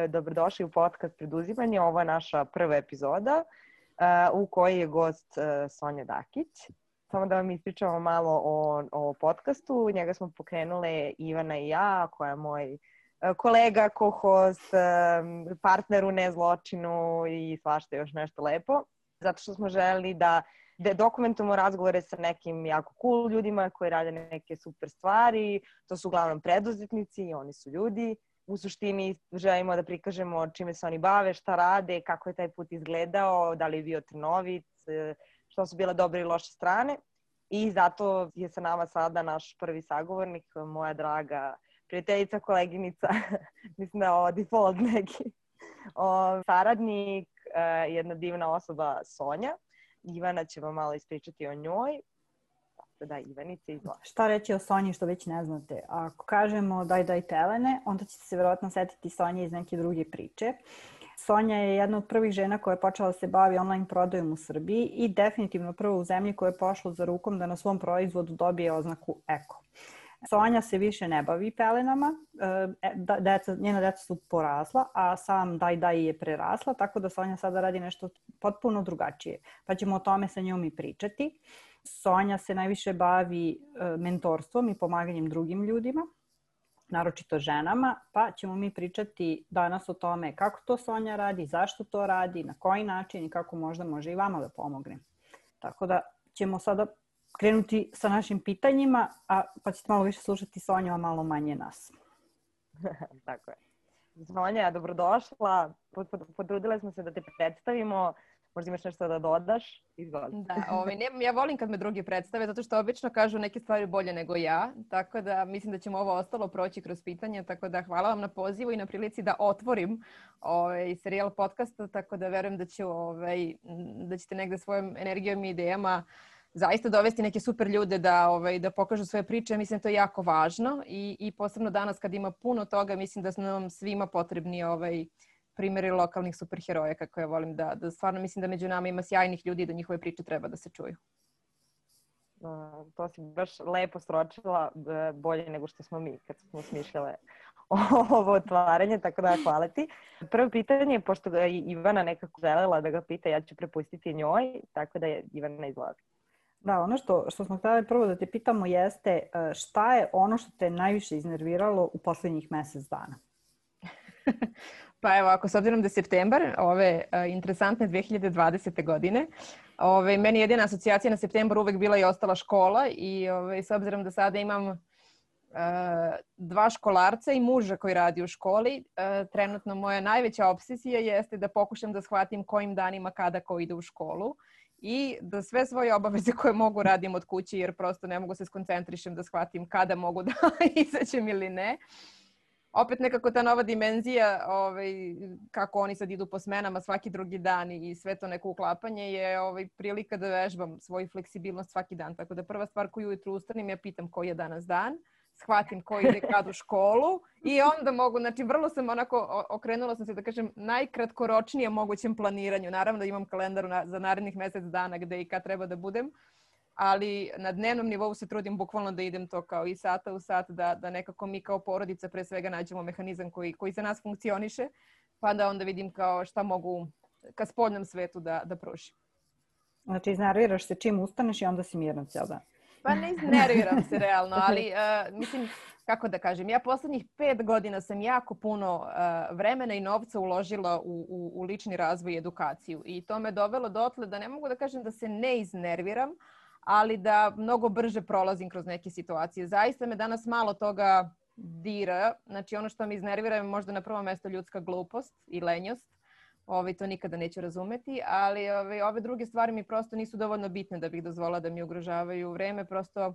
dobrodošli u podcast Preduzimanje. Ovo je naša prva epizoda u kojoj je gost Sonja Dakić. Samo da vam ispričamo malo o podcastu. Njega smo pokrenule Ivana i ja, koja je moj kolega, co-host, partner u nezločinu i svašta još nešto lepo. Zato što smo želeli da dokumentujemo razgovore sa nekim jako cool ljudima koji rade neke super stvari. To su uglavnom preduzetnici i oni su ljudi. U suštini želimo da prikažemo čime se oni bave, šta rade, kako je taj put izgledao, da li je bio trnovit, što su bile dobre i loše strane. I zato je sa nama sada naš prvi sagovornik, moja draga prijateljica, koleginica, mislim da je ovo default neki, saradnik, jedna divna osoba Sonja. Ivana će vam malo ispričati o njoj. Da, Ivanice, izvoli. Šta reći o Sonji što već ne znate? Ako kažemo daj Telene, onda ćete se vjerojatno setiti Sonje iz neke druge priče. Sonja je jedna od prvih žena koja je počela da se bavi online prodajom u Srbiji i definitivno prva u zemlji koja je pošla za rukom da na svom proizvodu dobije oznaku eko. Sonja se više ne bavi pelenama, njena deca su porasla, a sam daj je prerasla, tako da Sonja sada radi nešto potpuno drugačije. Pa ćemo o tome sa njom i pričati. Sonja se najviše bavi mentorstvom i pomaganjem drugim ljudima, naročito ženama, pa ćemo mi pričati danas o tome kako to Sonja radi, zašto to radi, na koji način i kako možda može i vama da pomogne. Tako da ćemo sada krenuti sa našim pitanjima, pa ćete malo više slušati Sonju, a malo manje nas. Tako je. Sonja, dobrodošla. Potrudile smo se da te predstavimo. Možda imaš nešto da dodaš? Izvoli. Da, ja volim kad me drugi predstave, zato što obično kažu neke stvari bolje nego ja. Tako da mislim da ćemo ovo ostalo proći kroz pitanja. Tako da hvala vam na pozivu i na prilici da otvorim serijal podcasta. Tako da verujem da ćete negde svojom energijom i idejama zaista dovesti neke super ljude da pokažu svoje priče. Mislim da to je jako važno i posebno danas kad ima puno toga, mislim da su nam svima potrebni primjeri lokalnih superheroja, kako ja volim da stvarno mislim da među nama ima sjajnih ljudi i da njihove priče treba da se čuju. To si baš lepo sročila, bolje nego što smo mi kad smo smišljale ovo otvaranje, tako da hvala ti. Prvo pitanje, pošto ga je Ivana nekako želela da ga pita, ja ću prepustiti njoj, tako da je Ivana izvoli. Da, ono što smo htjeli prvo da te pitamo jeste šta je ono što te najviše iznerviralo u posljednjih mjesec dana? Pa evo, s obzirom da je septembar ove interesantne 2020. godine, meni jedina asocijacija na septembar uvek bila i ostala škola i s obzirom da sada imam dva školarca i muža koji radi u školi, trenutno moja najveća obsesija jeste da pokušam da shvatim kojim danima kada ko ide u školu i da sve svoje obaveze koje mogu radim od kuće jer prosto ne mogu se skoncentrišem da shvatim kada mogu da izađem ili ne. Opet nekako ta nova dimenzija, kako oni sad idu po smenama svaki drugi dan i sve to neko uklapanje je prilika da vežbam svoju fleksibilnost svaki dan. Tako da prva stvar koju ujutru ustanim, ja pitam koji je danas dan, shvatim ko ide kad u školu i onda mogu, znači vrlo sam okrenula sam se da kažem najkratkoročnije mogućem planiranju. Naravno da imam kalendar za narednih mjesec dana gde i kad treba da budem. Ali na dnevnom nivou se trudim bukvalno da idem to kao i sata u sat, da nekako mi kao porodica pre svega nađemo mehanizam koji za nas funkcioniše, pa da onda vidim kao šta mogu ka spoljnom svetu da pružim. Znači iznerviraš se čim ustaneš i onda si mirna cijel dan. Pa ne iznerviram se realno, ali mislim, kako da kažem, ja poslednjih 5 godina sam jako puno vremena i novca uložila u lični razvoj i edukaciju i to me dovelo dotle da ne mogu da kažem da se ne iznerviram, ali da mnogo brže prolazim kroz neke situacije. Zaista me danas malo toga dira. Znači ono što me iznervira je možda na prvo mesto ljudska glupost i lenjost. To nikada neću razumeti, ali ove druge stvari mi prosto nisu dovoljno bitne da bih dozvolila da mi ugrožavaju vreme. Prosto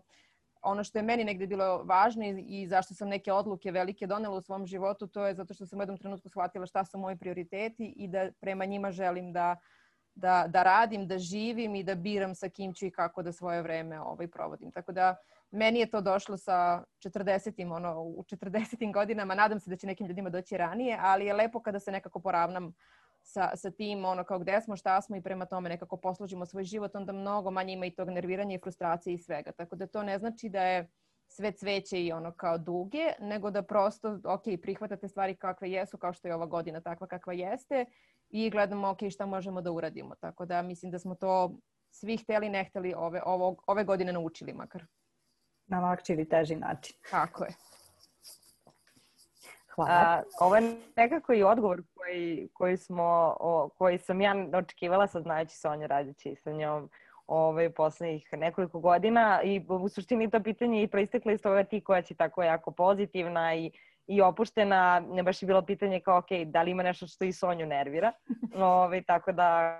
ono što je meni negdje bilo važno i zašto sam neke odluke velike donela u svom životu, to je zato što sam u jednom trenutku shvatila šta su moji prioriteti i da prema njima želim da radim, da živim i da biram sa kim ću i kako da svoje vreme provodim. Tako da meni je to došlo sa 40-im, u 40-im godinama. Nadam se da će nekim ljudima doći ranije, ali je lepo kada se nekako poravnam sa tim, kao gde smo, šta smo i prema tome nekako poslužimo svoj život, onda mnogo manje ima i tog nerviranja i frustracije i svega. Tako da to ne znači da je sve cveće i ono kao duge, nego da prosto, ok, prihvatate stvari kakve jesu, kao što je ova godina takva kakva jeste i gledamo, ok, šta možemo da uradimo. Tako da mislim da smo to svi hteli, ne hteli ove godine naučili makar. Na lakši ili teži način. Tako je. Hvala. Ovo je nekako i odgovor koji sam ja očekivala, sad znajući Sonju radeći sa njom poslednjih nekoliko godina i u suštini to pitanje i proisteklo iz toga ti koja si tako jako pozitivna i opuštena, ne baš je bilo pitanje kao ok, da li ima nešto što i Sonju nervira, tako da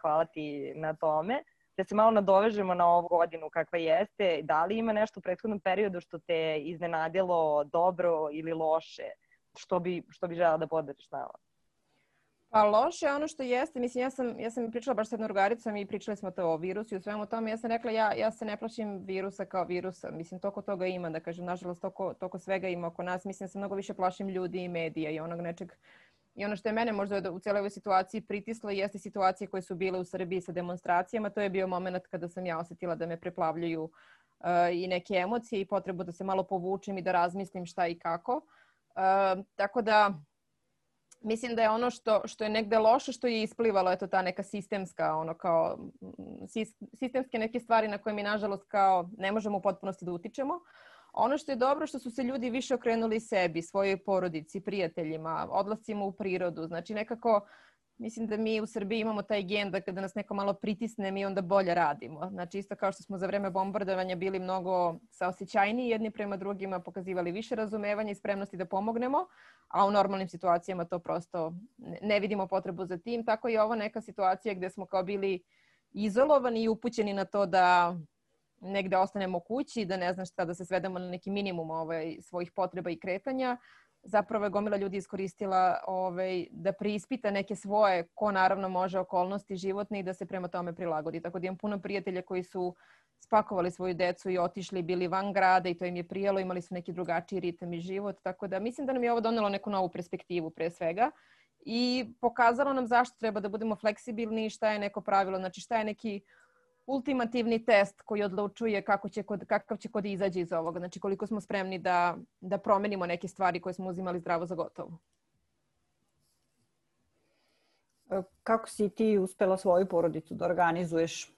hvala ti na tome. Da se malo nadovežemo na ovu godinu kakva jeste, da li ima nešto u prethodnom periodu što te iznenadilo dobro ili loše, što bi želela da podeliš nama? Pa loše ono što jeste, mislim ja sam pričala baš s jednom drugaricom i pričali smo to o virusu i o svemu tome. Ja sam rekla ja se ne plašim virusa kao virusa, mislim toliko toga ima, da kažem, nažalost toliko svega ima oko nas, mislim da se mnogo više plašim ljudi i medija i onog nečeg. I ono što je mene možda u cijeloj ovoj situaciji pritislo jeste situacije koje su bile u Srbiji sa demonstracijama. To je bio moment kada sam ja osjetila da me preplavljuju i neke emocije i potrebu da se malo povučem i da razmislim šta i kako. Tako da mislim da je ono što je negde loše što je isplivalo, eto ta neka sistemska, sistemske neke stvari na koje mi nažalost kao ne možemo u potpunosti da utičemo. Ono što je dobro što su se ljudi više okrenuli sebi, svojoj porodici, prijateljima, odlascima u prirodu. Znači nekako mislim da mi u Srbiji imamo taj gen da kada nas neko malo pritisne mi onda bolje radimo. Znači isto kao što smo za vreme bombardovanja bili mnogo saosećajniji jedni prema drugima, pokazivali više razumevanja i spremnosti da pomognemo, a u normalnim situacijama to prosto ne vidimo potrebu za tim. Tako i ovo neka situacija gdje smo kao bili izolovani i upućeni na to da negde ostanemo kući, da ne znam šta, da se svedemo na neki minimum svojih potreba i kretanja. Zapravo je gomila ljudi iskoristila da preispita neke svoje, ko naravno može, okolnosti životne i da se prema tome prilagodi. Tako da imam puno prijatelja koji su spakovali svoju decu i otišli, bili van grada i to im je prijelo, imali su neki drugačiji ritam i život. Tako da mislim da nam je ovo donelo neku novu perspektivu pre svega i pokazalo nam zašto treba da budemo fleksibilni i šta je neko pravilo, znači šta je neki ultimativni test koji odlučuje kakav će kod izađe iz ovoga. Znači koliko smo spremni da promenimo neke stvari koje smo uzimali zdravo za gotovo. Kako si ti uspela svoju porodicu da organizuješ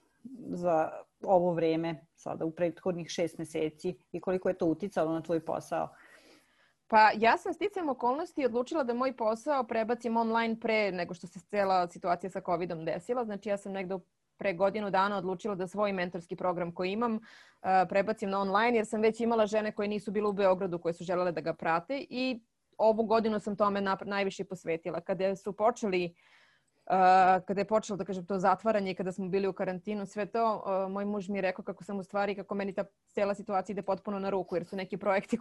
za ovo vreme, sada u prethodnih 6 meseci i koliko je to uticalo na tvoj posao? Pa ja sam sticajem okolnosti odlučila da moj posao prebacim online pre nego što se cijela situacija sa COVID-om desila. Znači ja sam negdje pre godinu dana odlučila da svoj mentorski program koji imam prebacim na online jer sam već imala žene koje nisu bile u Beogradu koje su želele da ga prate i ovu godinu sam tome najviše posvetila. Kada je počelo da kažem to zatvaranje i kada smo bili u karantinu, sve to, moj muž mi je rekao kako meni ta cijela situacija ide potpuno na ruku jer su neki projekti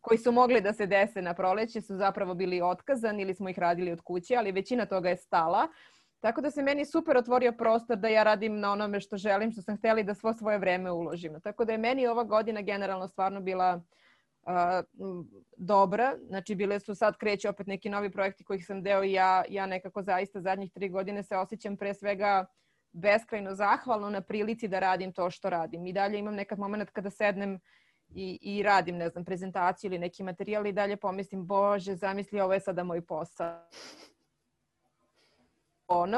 koji su mogli da se dese na proleće su zapravo bili otkazani ili smo ih radili od kuće, ali većina toga je stala. Tako da se meni super otvorio prostor da ja radim na onome što želim, što sam htjela i da svo svoje vreme uložim. Tako da je meni ova godina generalno stvarno bila dobra. Znači bile su sad kreće opet neki novi projekti kojih sam deo i ja nekako zaista zadnjih 3 godine se osjećam pre svega beskrajno zahvalno na prilici da radim to što radim. I dalje imam nekad moment kada sednem i radim, ne znam, prezentaciju ili neki materijal i dalje pomislim, Bože, zamisli, ovo je sada moj posao.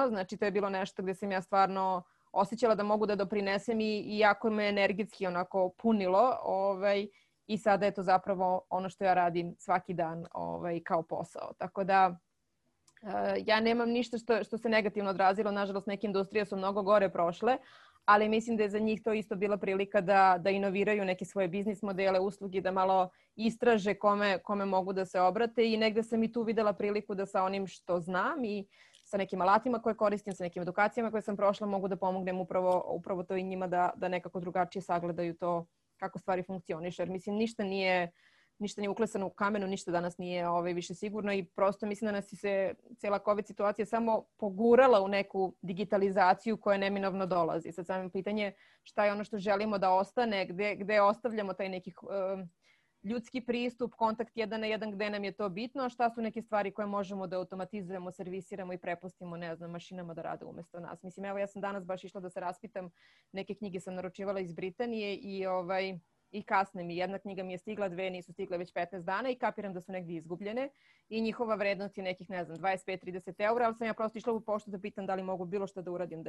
Znači to je bilo nešto gdje sam ja stvarno osjećala da mogu da doprinesem i jako me energetski onako punilo i sada je to zapravo ono što ja radim svaki dan kao posao. Tako da ja nemam ništa što se negativno odrazilo. Nažalost, neke industrije su mnogo gore prošle, ali mislim da je za njih to isto bila prilika da inoviraju neke svoje biznis modele, usluge, da malo istraže kome mogu da se obrate i negde sam i tu videla priliku da sa onim što znam i sa nekim alatima koje koristim, sa nekim edukacijama koje sam prošla, mogu da pomognem upravo to i njima da nekako drugačije sagledaju to kako stvari funkcioniše. Jer mislim, ništa nije uklesano u kamenu, ništa danas nije više sigurno i prosto mislim da nas se cijela COVID situacija samo pogurala u neku digitalizaciju koja neminovno dolazi. Sad samo pitanje šta je ono što želimo da ostane, gde ostavljamo taj neki ljudski pristup, kontakt 1 na 1 gde nam je to bitno, a šta su neke stvari koje možemo da automatizujemo, servisiramo i prepustimo, ne znam, mašinama da rade umjesto nas. Mislim, evo ja sam danas baš išla da se raspitam, neke knjige sam naručivala iz Britanije i i kasne mi. Jedna knjiga mi je stigla, dve nisu stigle već 15 dana i kapiram da su negdje izgubljene i njihova vrednost je nekih, ne znam, 25-30 eura, ali sam ja prosto išla u poštu da pitam da li mogu bilo što da uradim,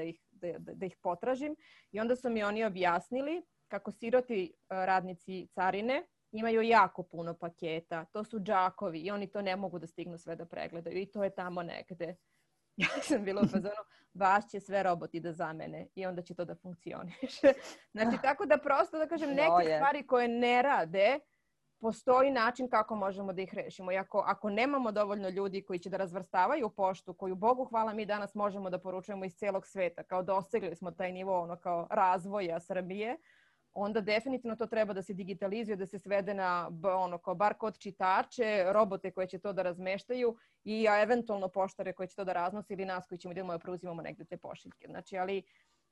da ih potražim. I onda su mi oni objasnili kako siroti radnici carine imaju jako puno paketa. To su džakovi i oni to ne mogu da stignu sve da pregledaju i to je tamo negde. Ja sam bila u fazonu, vas će sve roboti da zamene i onda će to da funkcioniše. Znači, tako da prosto, da kažem, neke stvari koje ne rade, postoji način kako možemo da ih rešimo. I ako nemamo dovoljno ljudi koji će da razvrstavaju poštu, koju, Bogu hvala, mi danas možemo da poručujemo iz celog sveta, kao dosegli smo taj nivo kao razvoja Srbije, onda definitivno to treba da se digitalizuje, da se svede na kao bar kod čitače, robote koje će to da razmeštaju i eventualno poštare koje će to da raznose ili nas koji ćemo idemo da preuzimamo negde te pošiljke. Znači, ali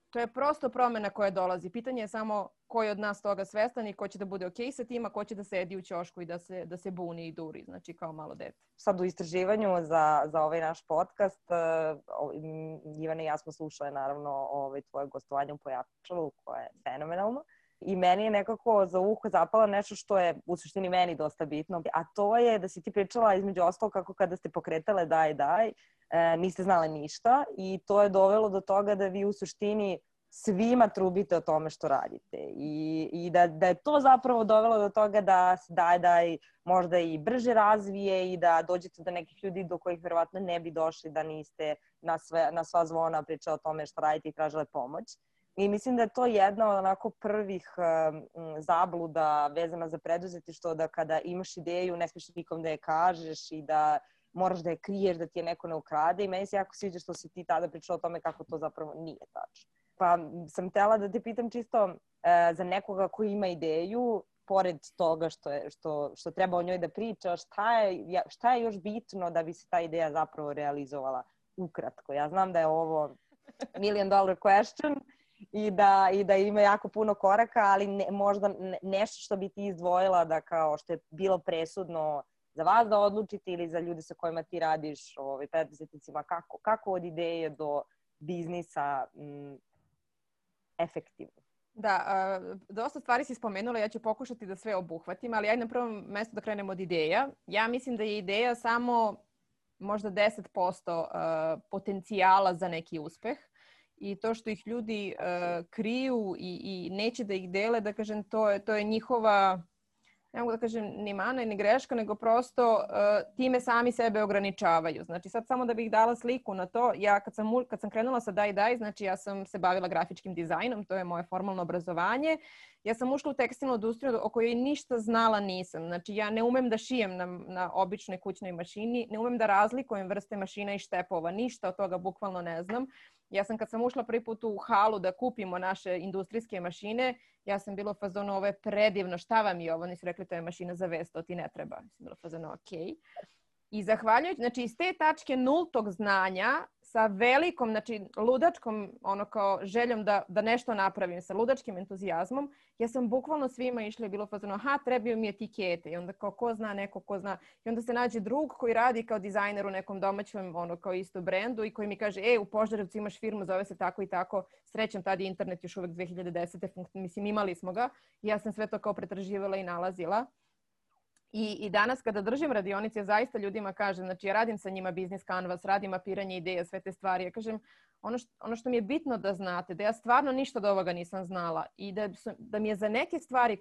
to je prosto promena koja dolazi. Pitanje je samo ko je od nas toga svestan i ko će da bude okej sa tim, a ko će da sedi u ćošku i da se buni i duri, znači kao malo dete. Sad u istraživanju za ovaj naš podcast, Ivana i ja smo slušale naravno tvoje gostovanje u Pojačalu, koje je fenomenalno. I meni je nekako za uho zapalo nešto što je u suštini meni dosta bitno, a to je da si ti pričala između ostalog kako kada ste pokretale Daj, niste znale ništa i to je dovelo do toga da vi u suštini svima trubite o tome što radite i da je to zapravo dovelo do toga da se Daj možda i brže razvije i da dođete do nekih ljudi do kojih verovatno ne bi došli da niste na sva zvona pričali o tome što radite i tražile pomoć. I mislim da je to jedna od onako prvih zabluda vezana za preduzetništvo, da kada imaš ideju ne smiješ nikom da je kažeš i da moraš da je kriješ, da ti je neko ne ukrade. I meni se jako sviđa što si ti tada pričala o tome kako to zapravo nije tačno. Pa sam htjela da te pitam čisto za nekoga koji ima ideju, pored toga što treba o njoj da priča, šta je još bitno da bi se ta ideja zapravo realizovala ukratko? Ja znam da je ovo $1 million question, i da ima jako puno koraka, ali možda nešto što bi ti izdvojila da kao što je bilo presudno za vas da odlučite ili za ljude sa kojima ti radiš, preduzetnicima, kako od ideje do biznisa efektivno? Da, dosta stvari si spomenula, ja ću pokušati da sve obuhvatim, ali ajde na prvom mjestu da krenemo od ideja. Ja mislim da je ideja samo možda 10% potencijala za neki uspeh. I to što ih ljudi kriju i neće da ih dele, da kažem, to je njihova, ne mogu da kažem ni mana ni greška, nego prosto time sami sebe ograničavaju. Znači sad samo da bih dala sliku na to, ja kad sam krenula sa Daj, znači ja sam se bavila grafičkim dizajnom, to je moje formalno obrazovanje. Ja sam ušla u tekstilnu industriju o kojoj ništa znala nisam. Znači ja ne umem da šijem na običnoj kućnoj mašini, ne umem da razlikujem vrste mašina i štepova, ništa od toga bukvalno ne znam. Ja sam kad sam ušla prvi put u halu da kupimo naše industrijske mašine, ja sam bila u fazonu, ovo je predivno, šta vam je ovo? Oni su rekli, to je mašina za vest, to ti ne treba. Ja sam bila u fazonu, okej. I zahvaljujući, znači iz te tačke nultog znanja sa velikom, znači ludačkom kao željom da nešto napravim, sa ludačkim entuzijazmom, ja sam bukvalno svima išla i bilo fazono, trebaju mi etikete. I onda kao ko zna, neko ko zna. I onda se nađe drug koji radi kao dizajner u nekom domaćem kao isto brendu i koji mi kaže, u Požarevcu imaš firmu, zove se tako i tako. Srećem, tad je internet još uvek 2010. Mislim, imali smo ga. I ja sam sve to kao pretraživala i nalazila. I danas kada držim radionice, zaista ljudima kažem, znači ja radim sa njima business canvas, radim mapiranje ideja, sve te stvari. Ja kažem, ono što mi je bitno da znate, da ja stvarno ništa od ovoga nisam znala i da mi je za neke stvari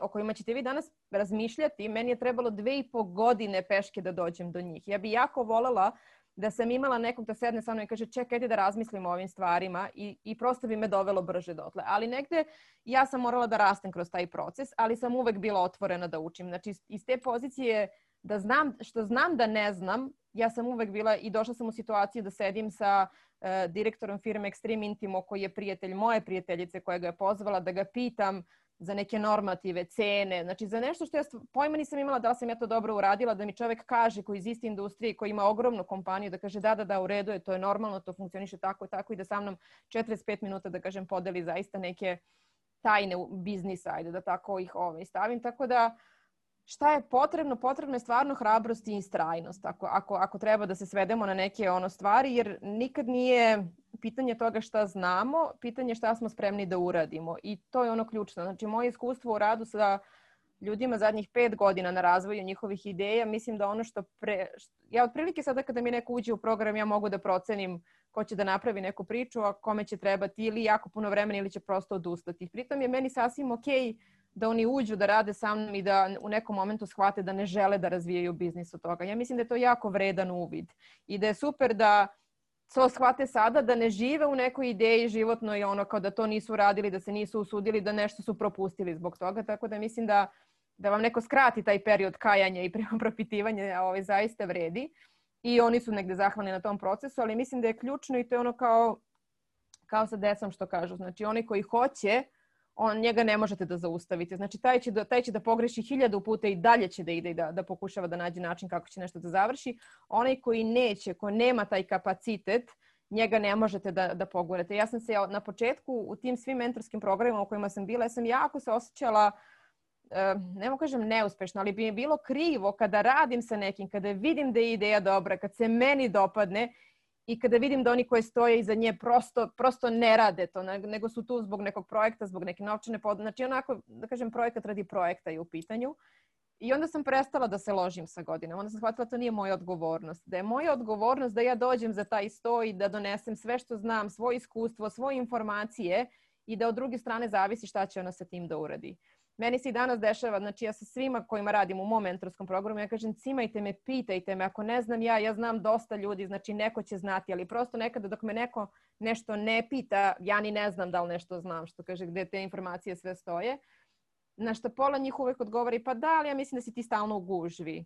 o kojima ćete vi danas razmišljati, meni je trebalo 2,5 godine peške da dođem do njih. Ja bi jako volela da sam imala nekog da sedne sa mnom i kaže čekaj da razmislimo o ovim stvarima i prosto bi me dovelo brže dotle. Ali negde ja sam morala da rastem kroz taj proces, ali sam uvek bila otvorena da učim. Znači iz te pozicije da znam da ne znam, ja sam uvek bila i došla sam u situaciju da sedim sa direktorom firme Extreme Intimo koji je prijatelj moje prijateljice koja ga je pozvala da ga pitam za neke normative, cene, znači za nešto što ja pojma nisam imala da li sam ja to dobro uradila, da mi čovjek kaže koji iz iste industrije, koji ima ogromnu kompaniju, da kaže da, u redu je, to je normalno, to funkcioniše tako i tako i da sa mnom 45 minuta, da kažem, podeli zaista neke tajne biznisa, ajde da tako ih stavim. Tako da šta je potrebno? Potrebno je stvarno hrabrost i istrajnost ako treba da se svedemo na neke stvari, jer nikad nije pitanje toga šta znamo, pitanje šta smo spremni da uradimo. I to je ono ključno. Znači, moje iskustvo u radu sa ljudima zadnjih 5 godina na razvoju njihovih ideja, mislim da ono ja otprilike sada kada mi neko uđe u program, ja mogu da procenim ko će da napravi neku priču, a kome će trebati ili jako puno vremena ili će prosto odustati. Pritom je meni sasvim okej da oni uđu da rade sa mnom i da u nekom momentu shvate da ne žele da razvijaju biznis od toga. Ja mislim da je to jako vredan uvid i da je super da to shvate sada, da ne žive u nekoj ideji životnoj, kao da to nisu radili, da se nisu usudili, da nešto su propustili zbog toga. Tako da mislim da vam neko skrati taj period kajanja i propitivanja zaista vredi. I oni su negde zahvalni na tom procesu, ali mislim da je ključno i to je kao sa decom što kažu. Znači, oni koji hoće, njega ne možete da zaustavite. Znači, taj će da pogreši 1000 puta i dalje će da ide i da pokušava da nađe način kako će nešto da završi. Onaj koji neće, ko nema taj kapacitet, njega ne možete da pogurate. Ja sam se na početku u tim svim mentorskim programima u kojima sam bila, ja sam jako se osjećala, ne mogu kažem neuspešno, ali bi mi bilo krivo kada radim sa nekim, kada vidim da je ideja dobra, kad se meni dopadne i kada vidim da oni koji stoje iza nje prosto ne rade to, nego su tu zbog nekog projekta, zbog neke novčane podrške. Znači onako, da kažem, projekat radi projekta je u pitanju. I onda sam prestala da se ložim sa godinama. Onda sam shvatila da to nije moja odgovornost. Da je moja odgovornost da ja dođem za taj sto i da donesem sve što znam, svoje iskustvo, svoje informacije i da od druge strane zavisi šta će ona sa tim da uradi. Meni se i danas dešava, znači ja sa svima kojima radim u mom mentorskom programu, ja kažem cimajte me, pitajte me, ako ne znam ja znam dosta ljudi, znači neko će znati, ali prosto nekada dok me neko nešto ne pita, ja ni ne znam da li nešto znam, što kaže gde te informacije sve stoje. Na što pola njih uvek odgovori, pa da, ali ja mislim da si ti stalno u gužvi.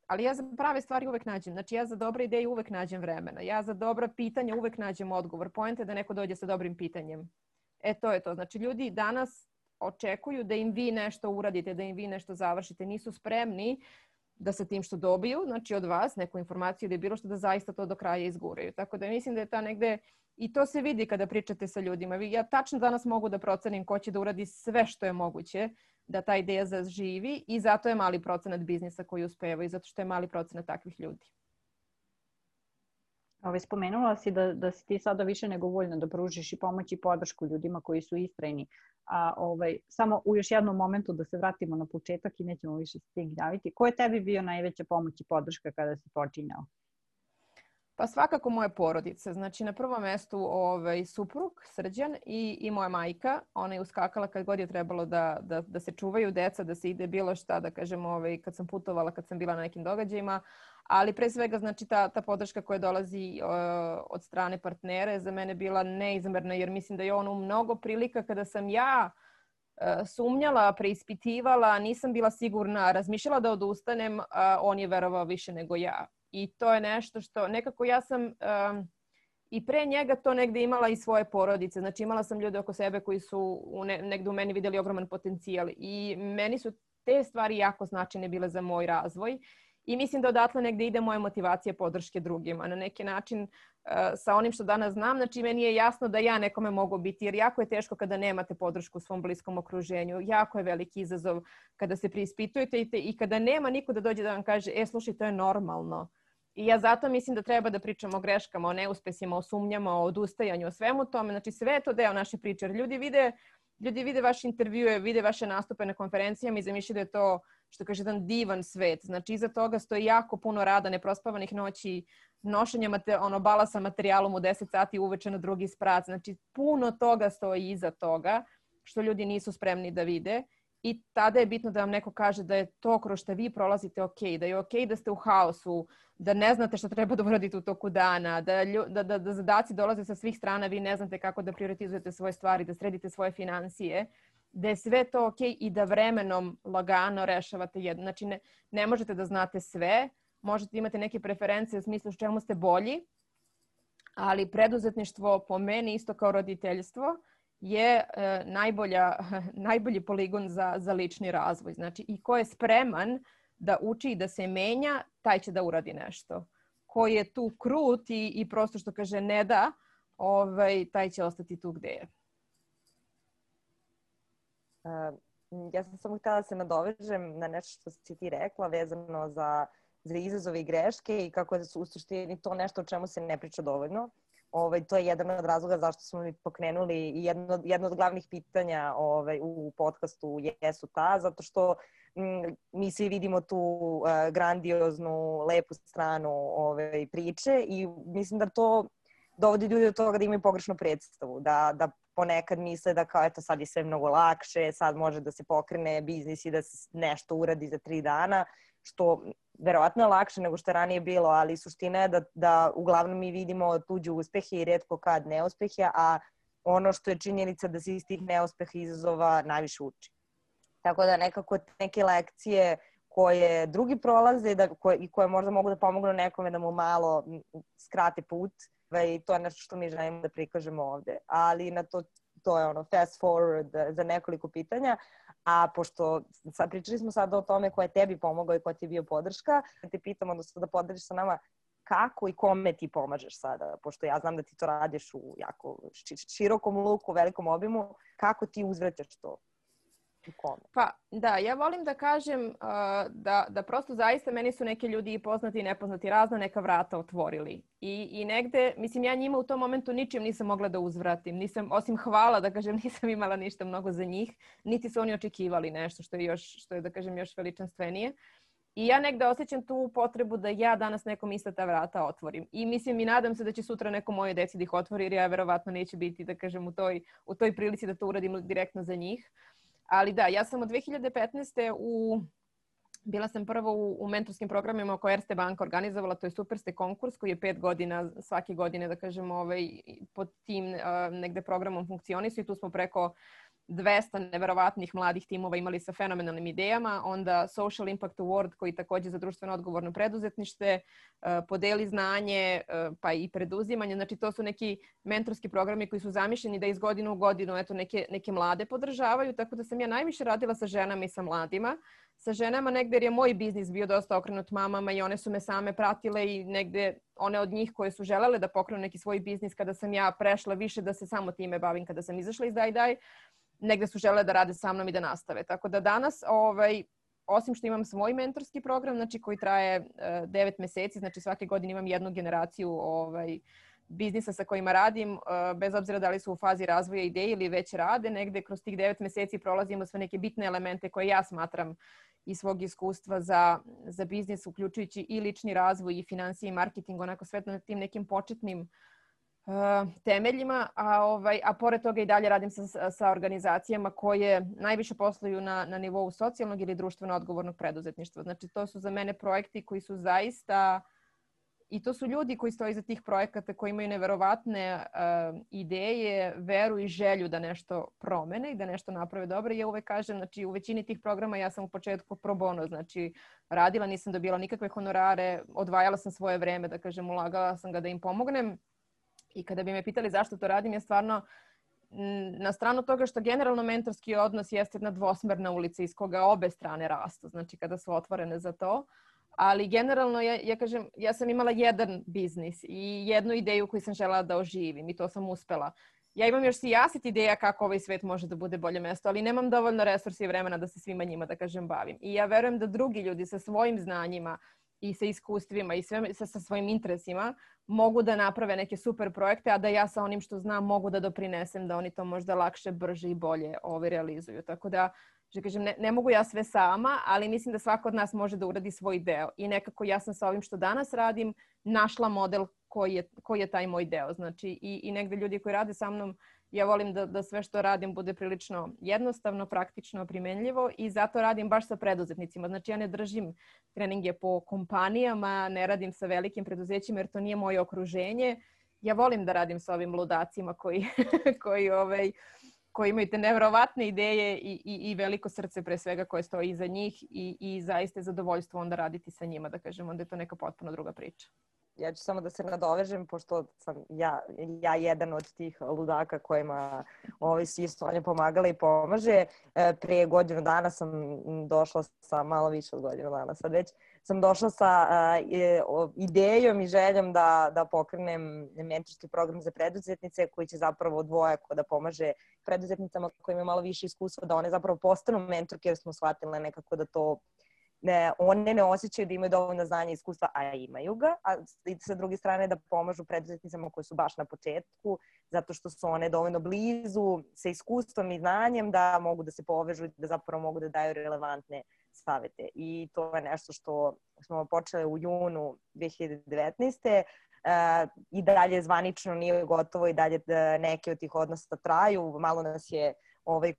Ali ja za prave stvari uvek nađem, znači ja za dobre ideje uvek nađem vremena, ja za dobra pitanja uvek nađem odgovor. Poenta je da neko dođe sa dobrim pitanjem. To je to, znači ljudi danas očekuju da im vi nešto uradite, da im vi nešto završite. Nisu spremni da sa tim što dobiju, znači od vas, neku informaciju ili bilo što, da zaista to do kraja izguraju. Tako da mislim da je ta negde, i to se vidi kada pričate sa ljudima. Ja tačno danas mogu da procenim ko će da uradi sve što je moguće da ta ideja zaživi i zato je mali procenat biznisa koji uspeva i zato što je mali procenat takvih ljudi. Spomenula si da si ti sada više nego voljna da pružiš i pomoć i podršku ljudima koji su istrajni. Samo u još jednom momentu da se vratimo na početak i nećemo više s tim gnjaviti. Ko je tebi bio najveća pomoć i podrška kada si počinjao? Pa svakako moja porodica. Znači na prvom mestu suprug Srđan i moja majka. Ona je uskakala kad god je trebalo da se čuvaju deca, da se ide bilo šta, da kažem, kad sam putovala, kad sam bila na nekim događajima. Ali pre svega, znači, ta podrška koja dolazi od strane partnera je za mene bila neizmerna, jer mislim da je ono mnogo prilika kada sam ja sumnjala, preispitivala, nisam bila sigurna, razmišljala da odustanem, on je verovao više nego ja. I to je nešto što nekako ja sam i pre njega to negde imala i svoje porodice. Znači imala sam ljude oko sebe koji su negde u meni vidjeli ogroman potencijal i meni su te stvari jako značajne bile za moj razvoj. I mislim da odatle negde ide moja motivacija podrške drugima. Na neki način sa onim što danas znam, znači meni je jasno da ja nekome mogu biti, jer jako je teško kada nemate podršku u svom bliskom okruženju. Jako je veliki izazov kada se preispitujete i kada nema niko da dođe da vam kaže, slušaj, to je normalno. I ja zato mislim da treba da pričamo o greškama, o neuspesima, o sumnjama, o odustajanju, o svemu tome. Znači sve je to deo naše priče. Ljudi vide vaše intervjue, vide vaše nastupe na konferencijama i zamišljaju da je to, što kaže, jedan divan svet. Znači iza toga stoji jako puno rada, neprospavanih noći, nošenja balasa materijalom u 10 sati uveče na drugi sprat. Znači puno toga stoji iza toga što ljudi nisu spremni da vide. I tada je bitno da vam neko kaže da je to kroz što vi prolazite ok, da je ok da ste u haosu, da ne znate što treba da uradite u toku dana, da zadaci dolaze sa svih strana, vi ne znate kako da prioritizujete svoje stvari, da sredite svoje financije, da je sve to ok i da vremenom lagano rešavate jedno. Znači ne možete da znate sve, možete imati neke preferencije u smislu s čemu ste bolji, ali preduzetništvo po meni isto kao roditeljstvo je najbolji poligon za lični razvoj. Znači, i ko je spreman da uči i da se menja, taj će da uradi nešto. Ko je tu krut i prosto što kaže ne da, taj će ostati tu gde je. Ja sam samo htjela da se nadovežem na nešto što si ti rekla vezano za izazove i greške i kako je u suštini to nešto o čemu se ne priča dovoljno. To je jedan od razloga zašto smo mi pokrenuli i jedno od glavnih pitanja u podcastu jesu ta, zato što mi svi vidimo tu grandioznu, lepu stranu priče i mislim da to dovodi ljudi do toga da imaju pogrešnu predstavu, da ponekad misle da kao eto sad je sve mnogo lakše, sad može da se pokrene biznis i da se nešto uradi za 3 dana, što verovatno je lakše nego što je ranije bilo, ali suština je da uglavnom mi vidimo tuđe uspehe i retko kad neuspehe, a ono što je činjenica da se iz tih neuspeha i izazova najviše uči. Tako da nekako neke lekcije koje drugi prolaze i koje možda mogu da pomognu nekome da mu malo skrate put, i to je nešto što mi želimo da prikažemo ovde. Ali na to je fast forward za nekoliko pitanja. A pošto pričali smo sada o tome ko je tebi pomogao i ko ti je bio podrška, te pitam, odnosno da podeliš sa nama kako i kome ti pomažeš sada, pošto ja znam da ti to radiš u jako širokom luku, velikom obimu, kako ti uzvraćaš to? Pa da, ja volim da kažem da prosto zaista meni su neki ljudi i poznati i nepoznati razna neka vrata otvorili. I negde, mislim, ja njima u tom momentu ničim nisam mogla da uzvratim. Osim hvala, da kažem, nisam imala ništa mnogo za njih, niti su oni očekivali nešto što je da kažem, još veličanstvenije. I ja negde osjećam tu potrebu da ja danas nekom ista ta vrata otvorim. I mislim i nadam se da će sutra neko moje deci da ih otvori, jer ja verovatno neće biti, da kažem, u toj prilici da to uradim direktno za njih. Ali da, ja sam od 2015. Bila sam prvo u mentorskim programima koje Erste banka organizovala, to je Superste konkurs koji je 5 godina, svake godine, da kažem, pod tim negde programom funkcionisu i tu smo preko 200 neverovatnih mladih timova imali sa fenomenalnim idejama. Onda Social Impact Award koji takođe za društveno odgovorno preduzetništvo, podeli znanje pa i preduzimanje. Znači to su neki mentorski programi koji su zamišljeni da iz godine u godinu neke mlade podržavaju. Tako da sam ja najviše radila sa ženama i sa mladima. Sa ženama negde jer je moj biznis bio dosta okrenut mamama i one su me same pratile i negde one od njih koje su želele da pokrenu neki svoj biznis kada sam ja prešla više da se samo time bavim kada sam izašla iz Daj, negde su želele da rade sa mnom i da nastave. Tako da danas, osim što imam svoj mentorski program, znači koji traje 9 meseci, znači svake godine imam jednu generaciju biznisa sa kojima radim, bez obzira da li su u fazi razvoja ideje ili već rade, negde kroz tih 9 meseci prolazimo sve neke bitne elemente koje ja smatram iz svog iskustva za biznis, uključujući i lični razvoj i finansije i marketing, onako sve na tim nekim početnim temeljima, a pored toga i dalje radim sa organizacijama koje najviše posluju na nivou socijalnog ili društveno odgovornog preduzetništva. Znači to su za mene projekti koji su zaista, i to su ljudi koji stoji iza tih projekata, koji imaju neverovatne ideje, veru i želju da nešto promene i da nešto naprave dobro. Ja uvek kažem, znači u većini tih programa ja sam u početku pro bono, znači radila, nisam dobila nikakve honorare, odvajala sam svoje vreme, da kažem, ulagala sam ga da im pomognem. I kada bi me pitali zašto to radim, je stvarno na stranu toga što generalno mentorski odnos jeste jedna dvosmerna ulica iz koga obe strane rastu, znači kada su otvorene za to. Ali generalno, ja kažem, ja sam imala jedan biznis i jednu ideju koju sam želela da oživim i to sam uspela. Ja imam još sijaset ideja kako ovaj svet može da bude bolje mesto, ali nemam dovoljno resursa i vremena da se svima njima, da kažem, bavim. I ja verujem da drugi ljudi sa svojim znanjima i sa iskustvima i sa svojim interesima mogu da naprave neke super projekte, a da ja sa onim što znam mogu da doprinesem da oni to možda lakše, brže i bolje realizuju. Tako da, kažem, ne mogu ja sve sama, ali mislim da svako od nas može da uradi svoj deo. I nekako ja sam sa ovim što danas radim našla model koji je taj moj deo. Znači i negde ljudi koji rade sa mnom, ja volim da sve što radim bude prilično jednostavno, praktično, primenljivo i zato radim baš sa preduzetnicima. Znači ja ne držim treninge po kompanijama, ne radim sa velikim preduzećima jer to nije moje okruženje. Ja volim da radim sa ovim ludacima koji imaju te nevjerovatne ideje i veliko srce pre svega koje stoji iza njih i zaista je zadovoljstvo onda raditi sa njima, da kažem, onda je to neka potpuno druga priča. ja ću samo da se nadovežem, pošto sam ja jedan od tih ludaka kojima svi Sonja pomagala i pomaže. Prije godinu dana sam došla sa, malo više od godinu dana sad već, sam došla sa idejom i željom da pokrenem mentorski program za preduzetnice koji će zapravo dvojako da pomaže preduzetnicama koji imaju malo više iskustva, da one zapravo postanu mentorke, jer smo shvatile nekako da to one ne osjećaju da imaju dovoljno znanja i iskustva, a imaju ga, a sa druge strane da pomažu preduzetnicama koji su baš na početku, zato što su one dovoljno blizu sa iskustvom i znanjem da mogu da se povežu i da zapravo mogu da daju relevantne savete. I to je nešto što smo počeli u junu 2019. I dalje zvanično nije gotovo i dalje neke od tih odnosa traju. Malo nas je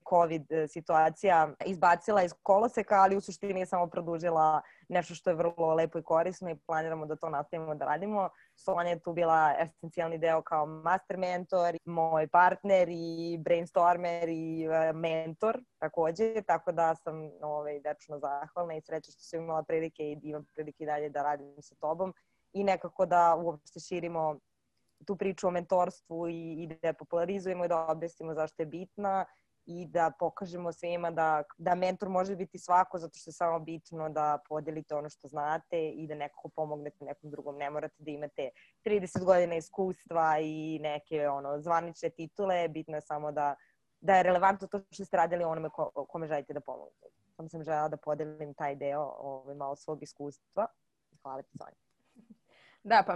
COVID situacija izbacila iz koloseka, ali u suštini je samo produžila nešto što je vrlo lepo i korisno i planiramo da to nastavimo da radimo. Sonja je tu bila esencijalni deo kao master mentor, moj partner i brainstormer i mentor takođe, tako da sam večno zahvalna i srećna što sam imala prilike i imam prilike dalje da radim sa tobom i nekako da uopšte širimo tu priču o mentorstvu i da je popularizujemo i da objasnimo zašto je bitna i da pokažemo svima da mentor može biti svako, zato što je samo bitno da podelite ono što znate i da nekako pomognete nekom drugom. Ne morate da imate 30 godina iskustva i neke zvanične titule, bitno je samo da je relevantno to što ste radili onome kome želite da pomognete. Samo sam želela da podelim taj deo malo svog iskustva. Hvala ti, Sonja. Da, pa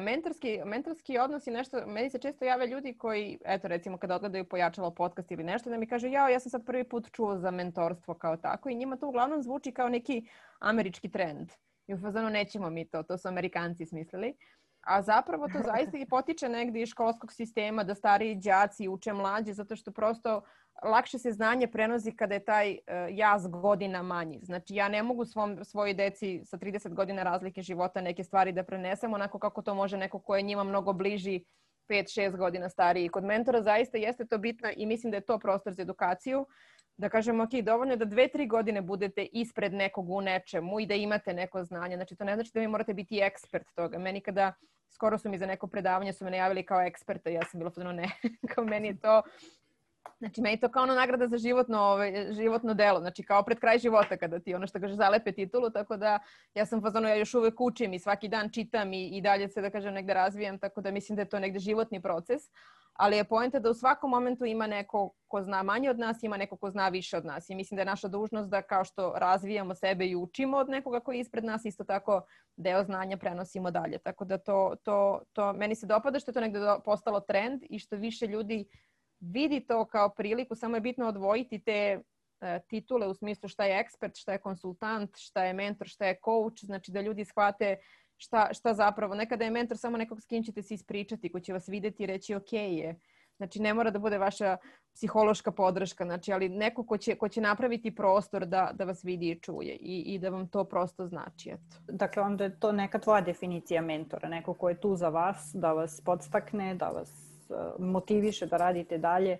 mentorski odnos je nešto, meni se često jave ljudi koji, eto recimo kada odgledaju Pojačalo podcast ili nešto, da mi kaže ja sam sad prvi put čuo za mentorstvo kao tako i njima to uglavnom zvuči kao neki američki trend. I u fazonu nećemo mi to su Amerikanci smislili. A zapravo to zaista i potiče negdje iz školskog sistema da stariji đaci uče mlađe, zato što prosto lakše se znanje prenosi kada je taj jaz godina manji. Znači ja ne mogu svojoj deci sa 30 godina razlike života neke stvari da prenesem onako kako to može neko ko je njima mnogo bliži 5-6 godina stariji. Kod mentora zaista jeste to bitno i mislim da je to prostor za edukaciju. Da kažemo, ok, dovoljno je da 2-3 godine budete ispred nekog u nečemu i da imate neko znanje. Znači, to ne znači da vi morate biti ekspert toga. Meni kada, skoro su mi za neko predavanje, su me najavili kao eksperta, ja sam bila fazonu ne, kao meni je to, znači meni je to kao nagrada za životno delo, znači kao pred kraj života kada ti što kaže zalepe titulu, tako da ja sam fazonu, ja još uvek učim i svaki dan čitam i dalje se da kažem negde razvijam, tako da mislim da je to negde životni proces. Ali je poenta da u svakom momentu ima neko ko zna manje od nas, ima neko ko zna više od nas. I mislim da je naša dužnost da kao što razvijamo sebe i učimo od nekoga koji je ispred nas, isto tako deo znanja prenosimo dalje. Tako da to meni se dopada što je to negde postalo trend i što više ljudi vidi to kao priliku. Samo je bitno odvojiti te titule u smislu šta je ekspert, šta je konsultant, šta je mentor, šta je coach. Znači da ljudi shvate šta zapravo. Nekada je mentor samo nekog s kim ćete se ispričati, ko će vas vidjeti i reći ok je. Znači ne mora da bude vaša psihološka podrška, znači, ali neko ko će napraviti prostor da vas vidi i čuje i da vam to prosto znači. Eto. Dakle, onda je to neka tvoja definicija mentora, neko ko je tu za vas, da vas podstakne, da vas motiviše da radite dalje.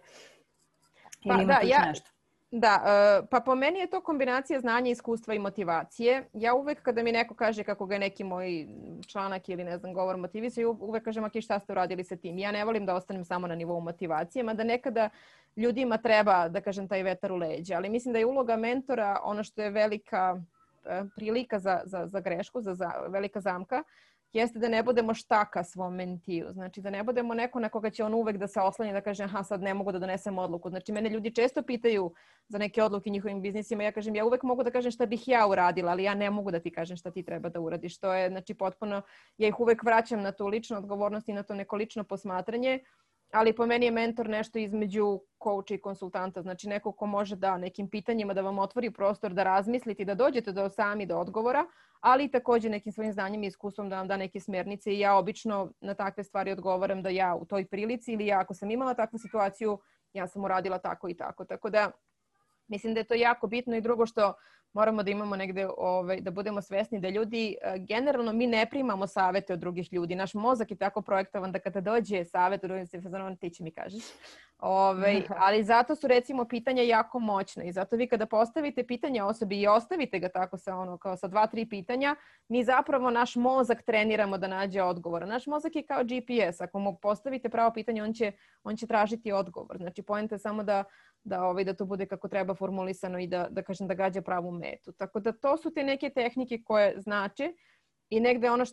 Ili imate nešto? Da, pa po meni je to kombinacija znanja, iskustva i motivacije. Ja uvek kada mi neko kaže kako ga je neki moj članak ili ne znam govor motivisao, uvek kažem ok, šta ste uradili sa tim. Ja ne volim da ostanem samo na nivou motivacije, mada nekada ljudima treba da kažem taj vetar u leđa. Ali mislim da je uloga mentora ono što je velika prilika za grešku, velika zamka, jeste da ne budemo štaka svom mentiju. Znači da ne budemo neko na koga će on uvek da se oslanja da kaže aha sad ne mogu da donesem odluku. Znači mene ljudi često pitaju za neke odluke njihovim biznisima. Ja kažem ja uvek mogu da kažem šta bih ja uradila, ali ja ne mogu da ti kažem šta ti treba da uradiš. To je znači potpuno, ja ih uvek vraćam na tu ličnu odgovornost i na to neko lično posmatranje. Ali po meni je mentor nešto između coacha i konsultanta. Znači neko ko može da nekim pitanjima da vam otvori prostor da razmislite i da dođete sami do odgovora, ali i također nekim svojim znanjem i iskustvom da vam da neke smjernice i ja obično na takve stvari odgovaram da ja u toj prilici ili ja ako sam imala takvu situaciju, ja sam uradila tako i tako. Tako da Mislim da je to jako bitno i drugo što moramo da imamo negde, da budemo svesni da ljudi, generalno mi ne primamo savete od drugih ljudi. Naš mozak je tako projektovan da kada dođe savet, ti će mi kažeš. Ali zato su recimo pitanja jako moćna i zato vi kada postavite pitanje osobi i ostavite ga tako kao sa 2-3 pitanja, mi zapravo naš mozak treniramo da nađe odgovor. Naš mozak je kao GPS. Ako mu postavite pravo pitanje, on će tražiti odgovor. Znači, poenta je samo da to bude kako treba formulisano i da kažem da gađa pravu metu. Tako da to su te neke tehnike koje znače i negde ono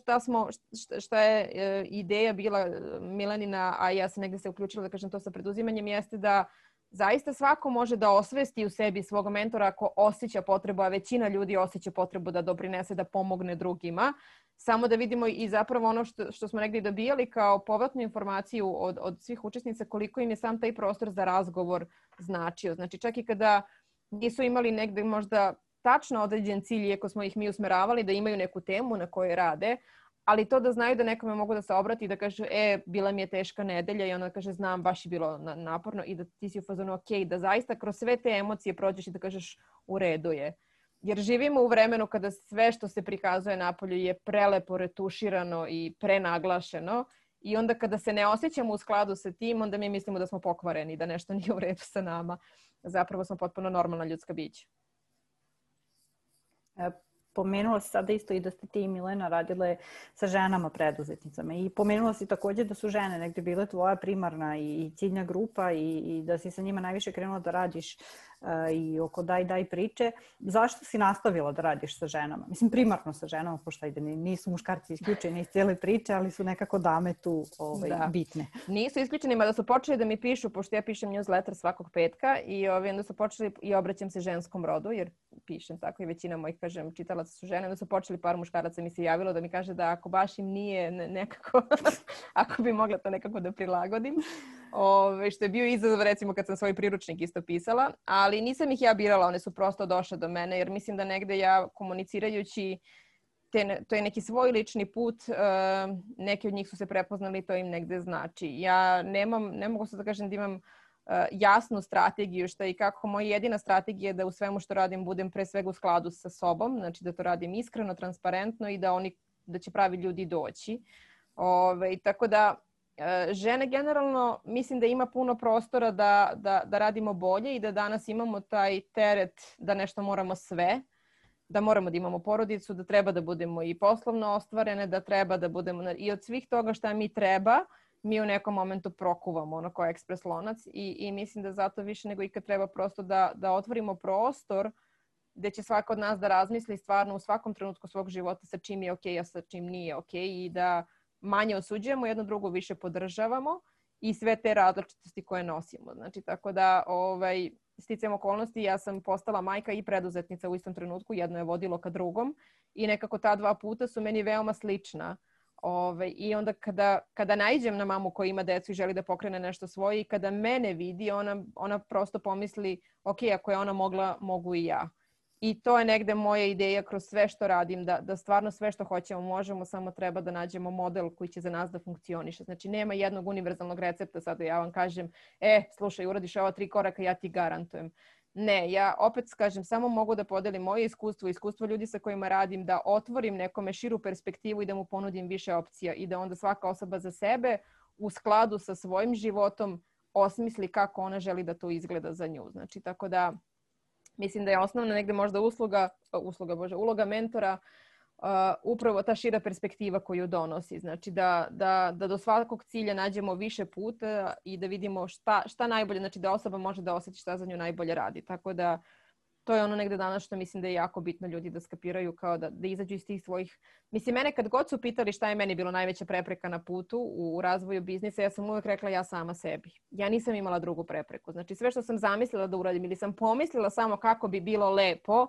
šta je ideja bila Milanina, a ja sam negde se uključila da kažem to sa preduzimanjem, jeste da zaista svako može da osvesti u sebi svog mentora ako osjeća potrebu, a većina ljudi osjeća potrebu da doprinese, da pomogne drugima. Samo da vidimo i zapravo ono što smo negdje dobijali kao povratnu informaciju od svih učesnica, koliko im je sam taj prostor za razgovor značio. Znači čak i kada nisu imali negdje možda tačno određen cilj, iako smo ih mi usmeravali da imaju neku temu na kojoj rade, ali to da znaju da nekome mogu da se obrati i da kažu bila mi je teška nedelja i ona kaže znam, baš je bilo naporno i da ti si u fazonu ok, da zaista kroz sve te emocije prođeš i da kažeš u redu je. Jer živimo u vremenu kada sve što se prikazuje napolju je prelepo retuširano i prenaglašeno i onda kada se ne osjećamo u skladu sa tim, onda mi mislimo da smo pokvareni, da nešto nije u redu sa nama. Zapravo smo potpuno normalna ljudska bića. Pomenula si sada isto i da ste ti i Milena radile sa ženama preduzetnicama i pomenula si također da su žene negdje bile tvoja primarna i ciljna grupa i da si sa njima najviše krenula da radiš i oko daj priče. Zašto si nastavila da radiš sa ženama? Mislim, primarno sa ženama, pošto nisu muškarci isključeni iz cijele priče, ali su nekako dame tu bitne. Nisu isključeni, mada su počeli da mi pišu, pošto ja pišem newsletter svakog petka i onda su počeli i obraćam se ženskom rodu, jer pišem tako i većina mojih, kažem, čitalaca su žene. Onda su počeli, par muškaraca mi se javilo da mi kaže da ako baš im nije nekako, ako bi mogla to nekako da prilagodim. Što je bio izazov recimo kad sam svoj priručnik isto pisala, ali nisam ih ja birala, one su prosto došle do mene jer mislim da negde ja komunicirajući to je neki svoj lični put, neki od njih su se prepoznali, to im negde znači. Ja ne mogu sad da kažem da imam jasnu strategiju šta i kako. Moja jedina strategija je da u svemu što radim budem pre svega u skladu sa sobom, znači da to radim iskreno, transparentno i da će pravi ljudi doći. Tako da žene generalno mislim da ima puno prostora da radimo bolje i da danas imamo taj teret da nešto moramo sve, da moramo da imamo porodicu, da treba da budemo i poslovno ostvarene, da treba da budemo i od svih toga šta mi treba, mi u nekom momentu prokuvamo ono kao ekspres lonac i mislim da zato više nego ikad treba prosto da otvorimo prostor gdje će svako od nas da razmisli stvarno u svakom trenutku svog života sa čim je ok, a sa čim nije ok i da manje osuđujemo, jedno drugo više podržavamo i sve te različitosti koje nosimo. Znači, tako da sticajem okolnosti ja sam postala majka i preduzetnica u istom trenutku, jedno je vodilo ka drugom i nekako ta dva puta su meni veoma slična. I onda kada naiđem na mamu koja ima decu i želi da pokrene nešto svoje i kada mene vidi, ona prosto pomisli ok, ako je ona mogla, mogu i ja. I to je negde moja ideja kroz sve što radim, da stvarno sve što hoćemo možemo, samo treba da nađemo model koji će za nas da funkcioniše. Znači nema jednog univerzalnog recepta, sada ja vam kažem, slušaj, uradiš ova 3 koraka, ja ti garantujem. Ne, ja opet kažem, samo mogu da podelim moje iskustvo ljudi sa kojima radim, da otvorim nekome širu perspektivu i da mu ponudim više opcija i da onda svaka osoba za sebe u skladu sa svojim životom osmisli kako ona želi da to izgleda za nju. Znači, tako da mislim da je osnovna negde možda uloga mentora upravo ta šira perspektiva koju donosi. Znači da do svakog cilja nađemo više puta i da vidimo šta najbolje, znači da osoba može da osjeti šta za nju najbolje radi. Tako da to je ono negde danas što mislim da je jako bitno ljudi da skapiraju, kao da izađu iz tih svojih... Mislim, mene kad god su pitali šta je meni bilo najveća prepreka na putu u razvoju biznisa, ja sam uvek rekla ja sama sebi. Ja nisam imala drugu prepreku. Znači sve što sam zamislila da uradim ili sam pomislila samo kako bi bilo lepo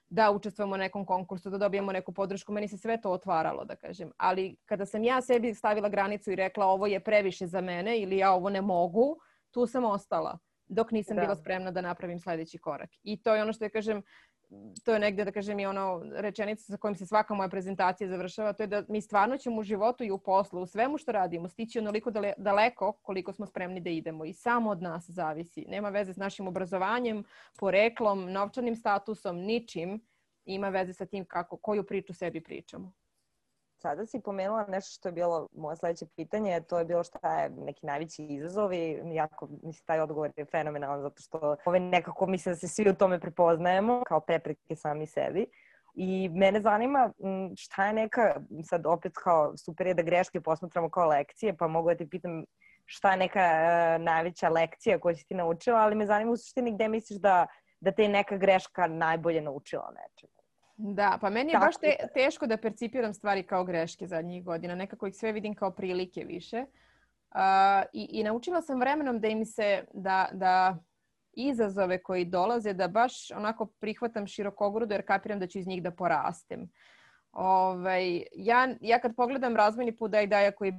da učestvujemo u nekom konkursu, da dobijemo neku podršku, meni se sve to otvaralo, da kažem. Ali kada sam ja sebi stavila granicu i rekla ovo je previše za mene ili ja ovo ne mogu, tu sam ostala. Dok nisam bila spremna da napravim sljedeći korak. I to je ono što ja kažem, to je negdje, da kažem, i ono rečenica sa kojom se svaka moja prezentacija završava, to je da mi stvarno ćemo u životu i u poslu, u svemu što radimo, stići onoliko daleko koliko smo spremni da idemo i samo od nas zavisi. Nema veze s našim obrazovanjem, poreklom, novčanim statusom, ničim. Ima veze sa tim koju priču sebi pričamo. Sada si pomenula nešto što je bilo moje sledeće pitanje, to je bilo šta je neki najveći izazov i jako, mislim, taj odgovor je fenomenalan zato što nekako mislim da se svi u tome prepoznajemo kao prepreke sami sebi. I mene zanima šta je neka, sad opet kao super je da greške posmatramo kao lekcije, pa mogu da te pitam šta je neka najveća lekcija koju si ti naučila, ali me zanima u suštini gde misliš da te je neka greška najbolje naučila nečemu. Da, pa meni je baš teško da percipiram stvari kao greške zadnjih godina. Nekako ih sve vidim kao prilike više. I naučila sam vremenom da im se, da izazove koji dolaze, da baš onako prihvatam širokogrudo jer kapiram da ću iz njih da porastem. Ja kad pogledam razvojni put Dajdaja koji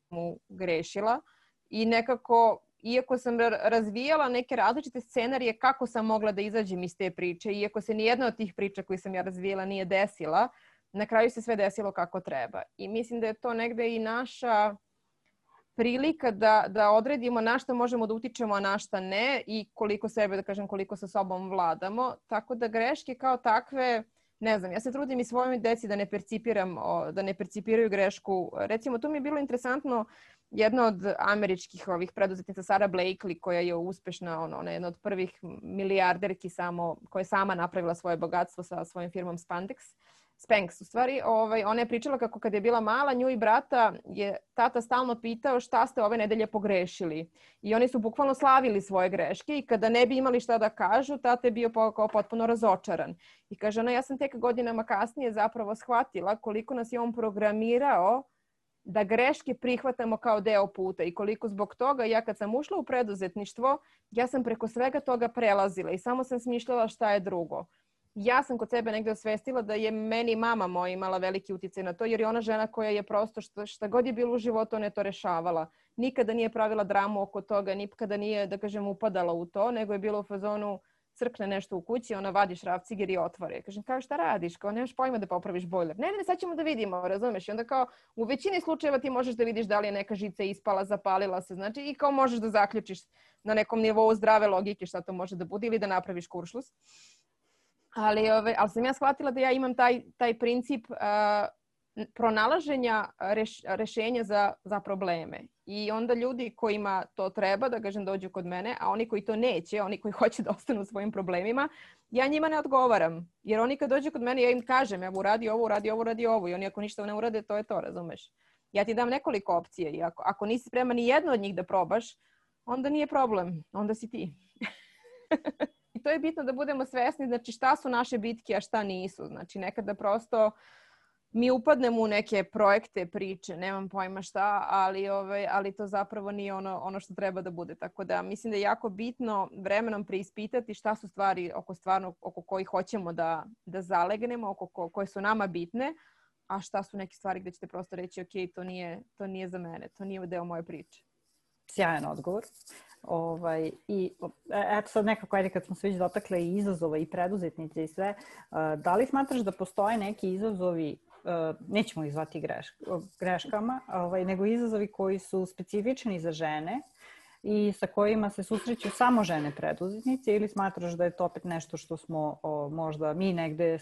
mu grešila i nekako iako sam razvijala neke različite scenarije kako sam mogla da izađem iz te priče, iako se nijedna od tih priča koje sam ja razvijela nije desila, na kraju se sve desilo kako treba. I mislim da je to negde i naša prilika da odredimo na šta možemo da utičemo, a na šta ne i koliko sebe, da kažem, koliko sa sobom vladamo. Tako da greške kao takve, ne znam, ja se trudim i svojoj deci da ne percipiraju grešku. Recimo, tu mi je bilo interesantno jedna od američkih preduzetnica Sara Blakely koja je uspešna, ona je jedna od prvih milijarderki koja je sama napravila svoje bogatstvo sa svojom firmom Spanx u stvari. Ona je pričala kako kad je bila mala, nju i brata je tata stalno pitao šta ste ove nedelje pogrešili. I oni su bukvalno slavili svoje greške i kada ne bi imali šta da kažu, tata je bio kao potpuno razočaran. I kaže ona, ja sam tek godinama kasnije zapravo shvatila koliko nas je on programirao da greške prihvatamo kao deo puta i koliko zbog toga ja kad sam ušla u preduzetništvo, ja sam preko svega toga prelazila i samo sam smišljala šta je drugo. Ja sam kod sebe negdje osvestila da je meni mama moja imala veliki uticaj na to jer je ona žena koja je prosto šta god je bilo u životu ona je to rešavala. Nikada nije pravila dramu oko toga, nikada nije, da kažem, upadala u to, nego je bilo u fazonu crkne nešto u kući, ona vadi šrafciger i otvore. Kažem, kao šta radiš? Kao nemaš pojma da popraviš bojler. Ne, sad ćemo da vidimo, razumeš? I onda kao u većini slučajeva ti možeš da vidiš da li je neka žica ispala, zapalila se, znači i kao možeš da zaključiš na nekom nivou zdrave logike šta to može da bude ili da napraviš kuršlus. Ali sam ja shvatila da ja imam taj princip pronalaženja rešenja za probleme. I onda ljudi kojima to treba, da kažem, dođu kod mene, a oni koji to neće, oni koji hoće da ostanu u svojim problemima, ja njima ne odgovaram. Jer oni kad dođu kod mene, ja im kažem, evo uradi ovo. I oni ako ništa ne urade, to je to, razumeš? Ja ti dam nekoliko opcije i ako nisi spreman ni jedno od njih da probaš, onda nije problem, onda si ti. I to je bitno da budemo svesni, znači šta su naše bitke, a šta nisu. Znači nekada prosto mi upadnemo u neke projekte, priče, nemam pojma šta, ali to zapravo nije ono što treba da bude. Tako da mislim da je jako bitno vremenom preispitati šta su stvari oko kojih hoćemo da zalegnemo, koje su nama bitne, a šta su neke stvari gde ćete prosto reći ok, to nije za mene, to nije deo moje priče. Sjajan odgovor. I eto sad nekako, ajde kad smo se već dotakle i izazova i preduzetnice i sve, da li smatraš da postoje neki izazovi, nećemo ih zvati greškama, nego izazovi koji su specifični za žene i sa kojima se susreću samo žene preduzetnice ili smatraš da je to opet nešto što smo možda mi negde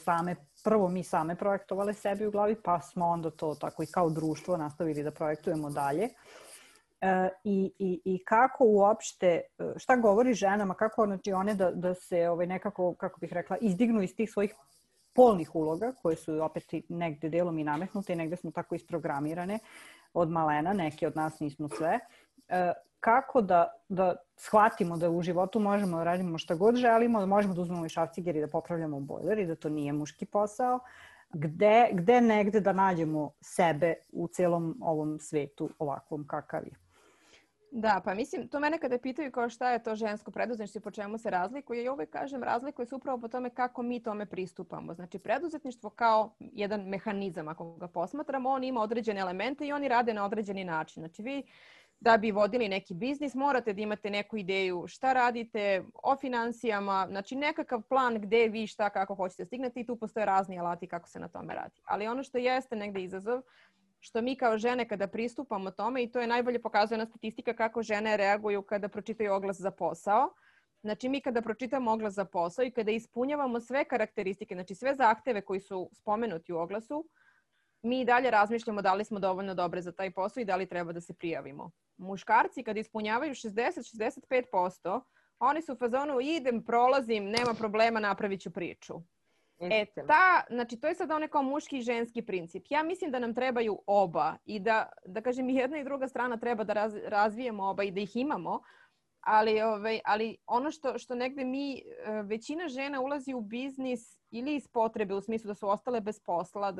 prvo mi same projektovale sebi u glavi, pa smo onda to tako i kao društvo nastavili da projektujemo dalje. I kako uopšte, šta govori ženama, kako znači one da se nekako, kako bih rekla, izdignu iz tih svojih polnih uloga, koje su opet negde delom i nametnute i negde smo tako isprogramirane od malena, neke od nas nismo sve. Kako da shvatimo da u životu možemo da radimo šta god želimo, da možemo da uzmemo i šrafciger i da popravljamo bojler i da to nije muški posao, gde negde da nađemo sebe u celom ovom svetu ovakvom kakav je. Da, pa mislim, to mene kada pitaju kao šta je to žensko preduzetništvo i po čemu se razlikuje, ja uvek kažem razlikuje se upravo po tome kako mi tome pristupamo. Znači, preduzetništvo kao jedan mehanizam, ako ga posmatramo, on ima određene elemente i oni rade na određeni način. Znači, vi da bi vodili neki biznis, morate da imate neku ideju šta radite, o finansijama, znači nekakav plan gde vi šta kako hoćete stignete i tu postoje razni alati kako se na tome radi. Ali ono što jeste negde izazov, što mi kao žene kada pristupamo tome, i to je najbolje pokazuje na statistika kako žene reaguju kada pročitaju oglas za posao. Znači mi kada pročitamo oglas za posao i kada ispunjavamo sve karakteristike, znači sve zahteve koji su spomenuti u oglasu, mi i dalje razmišljamo da li smo dovoljno dobre za taj posao i da li treba da se prijavimo. Muškarci kada ispunjavaju 60-65%, oni su u fazonu idem, prolazim, nema problema, napravit ću priču. Znači to je sad onaj kao muški i ženski princip. Ja mislim da nam trebaju oba i da kažem i jedna i druga strana treba da razvijemo oba i da ih imamo, ali ono što negde većina žena ulazi u biznis ili iz potrebe, u smislu da su ostale bez posla,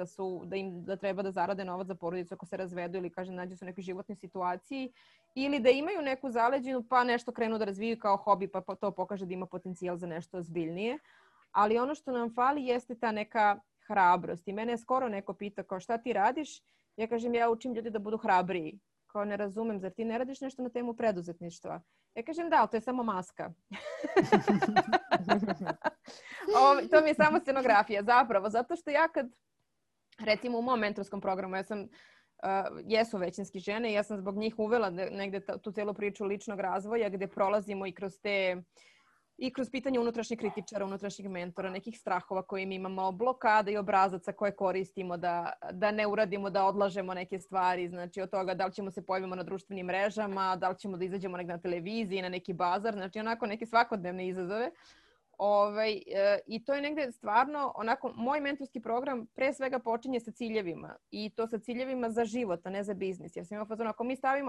da treba da zarade novac za porodicu ako se razvedu ili nađu se u nekoj životnoj situaciji, ili da imaju neku zaleđinu pa nešto krenu da razviju kao hobi pa to pokaže da ima potencijal za nešto ozbiljnije. Ali ono što nam fali jeste ta neka hrabrost. I mene je skoro neko pita kao šta ti radiš? Ja kažem ja učim ljudi da budu hrabriji. Kao ne razumem, zar ti ne radiš nešto na temu preduzetništva? Ja kažem da, ali to je samo maska. To mi je samo scenografija zapravo. Zato što ja kad, recimo u mom mentorskom programu, jesu većinski žene i ja sam zbog njih uvela negde tu celu priču ličnog razvoja gde prolazimo i kroz pitanje unutrašnjih kritičara, unutrašnjih mentora, nekih strahova koje mi imamo, blokada i obrazaca koje koristimo da ne uradimo, da odlažemo neke stvari. Znači od toga da li ćemo se pojavimo na društvenim mrežama, da li ćemo da izađemo negdje na televiziji, na neki bazar. Znači onako neke svakodnevne izazove. I to je negdje stvarno, onako, moj mentorski program pre svega počinje sa ciljevima i to sa ciljevima za život, a ne za biznis. Jer sam imao fazon,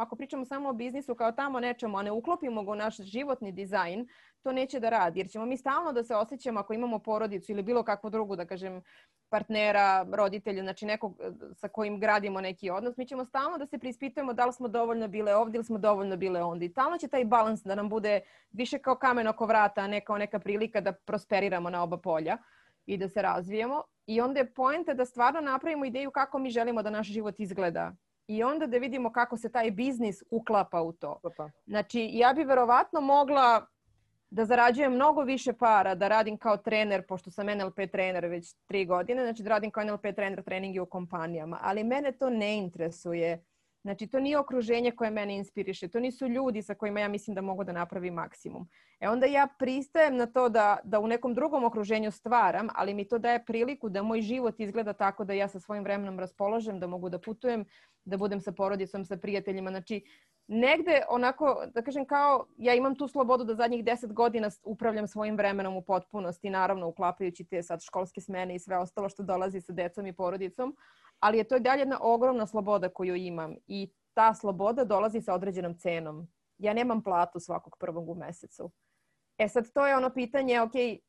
ako pričamo samo o biznisu kao tamo nečemu, a ne uklopimo ga u naš životni dizajn, to neće da radi. Jer ćemo mi stalno da se osjećamo ako imamo porodicu ili bilo kakvu drugu, da kažem, partnera, roditelja, znači nekog sa kojim gradimo neki odnos, mi ćemo stalno da se preispitujemo da li smo dovoljno bile ovdje ili smo dovoljno bile ondje. I stalno će taj balans da nam bude više kao kamen oko vrata, a ne kao neka prilika da prosperiramo na oba polja i da se razvijemo. I onda je poenta da stvarno napravimo ideju kako mi želimo da naš život izgleda. I onda da vidimo kako se taj biznis uklapa u to. Znači, ja bi verovatno mogla da zarađujem mnogo više para, da radim kao trener, pošto sam NLP trener već 3 godine, znači da radim kao NLP trener treninge u kompanijama, ali mene to ne interesuje. Znači, to nije okruženje koje mene inspiriše, to nisu ljudi sa kojima ja mislim da mogu da napravim maksimum. Onda ja pristajem na to da u nekom drugom okruženju stvaram, ali mi to daje priliku da moj život izgleda tako da ja sa svojim vremenom raspolažem, da mogu da putujem, da budem sa porodicom, sa prijateljima. Znači, negde onako, da kažem kao, ja imam tu slobodu da zadnjih 10 godina upravljam svojim vremenom u potpunosti, naravno uklapajući te sad školske smene i sve ostalo što dolazi sa decom i porodicom, ali je to i dalje jedna ogromna sloboda koju imam i ta sloboda dolazi sa određenom cenom. Ja nemam platu svakog prvog u mesecu. Sad to je ono pitanje,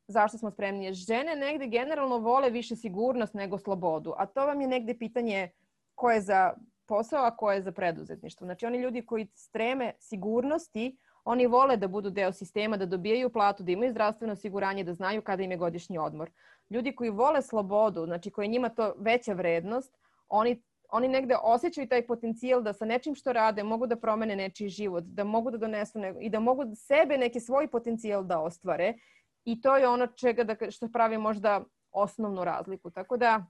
zašto smo spremnije? Žene negde generalno vole više sigurnost nego slobodu, a to vam je negde pitanje ko je za posao, a ko je za preduzetništvo. Znači oni ljudi koji streme sigurnosti, oni vole da budu deo sistema, da dobijaju platu, da imaju zdravstveno osiguranje, da znaju kada im je godišnji odmor. Ljudi koji vole slobodu, znači koji njima to veća vrednost, oni negde osjećaju taj potencijal da sa nečim što rade mogu da promene nečiji život, da mogu da donesu i da mogu sebe neki svoj potencijal da ostvare. I to je ono što pravi možda osnovnu razliku. Tako da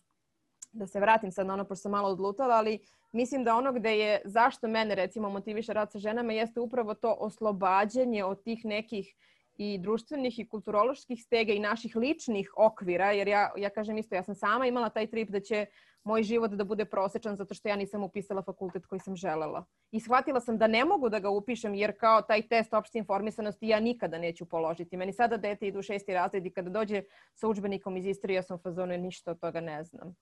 se vratim sad na ono, pošto sam malo odlutala, ali mislim da ono gde je, zašto mene recimo motiviše rad sa ženama, jeste upravo to oslobađanje od tih nekih i društvenih i kulturoloških stega i naših ličnih okvira, jer ja kažem isto, ja sam sama imala taj trip da će moj život da bude prosečan zato što ja nisam upisala fakultet koji sam želela. I shvatila sam da ne mogu da ga upišem jer kao taj test opšte informisanosti ja nikada neću položiti. Meni sada dete idu u 6. razred i kada dođe sa udžbenikom iz istorije ja sam u fazonu ništa od toga ne znam.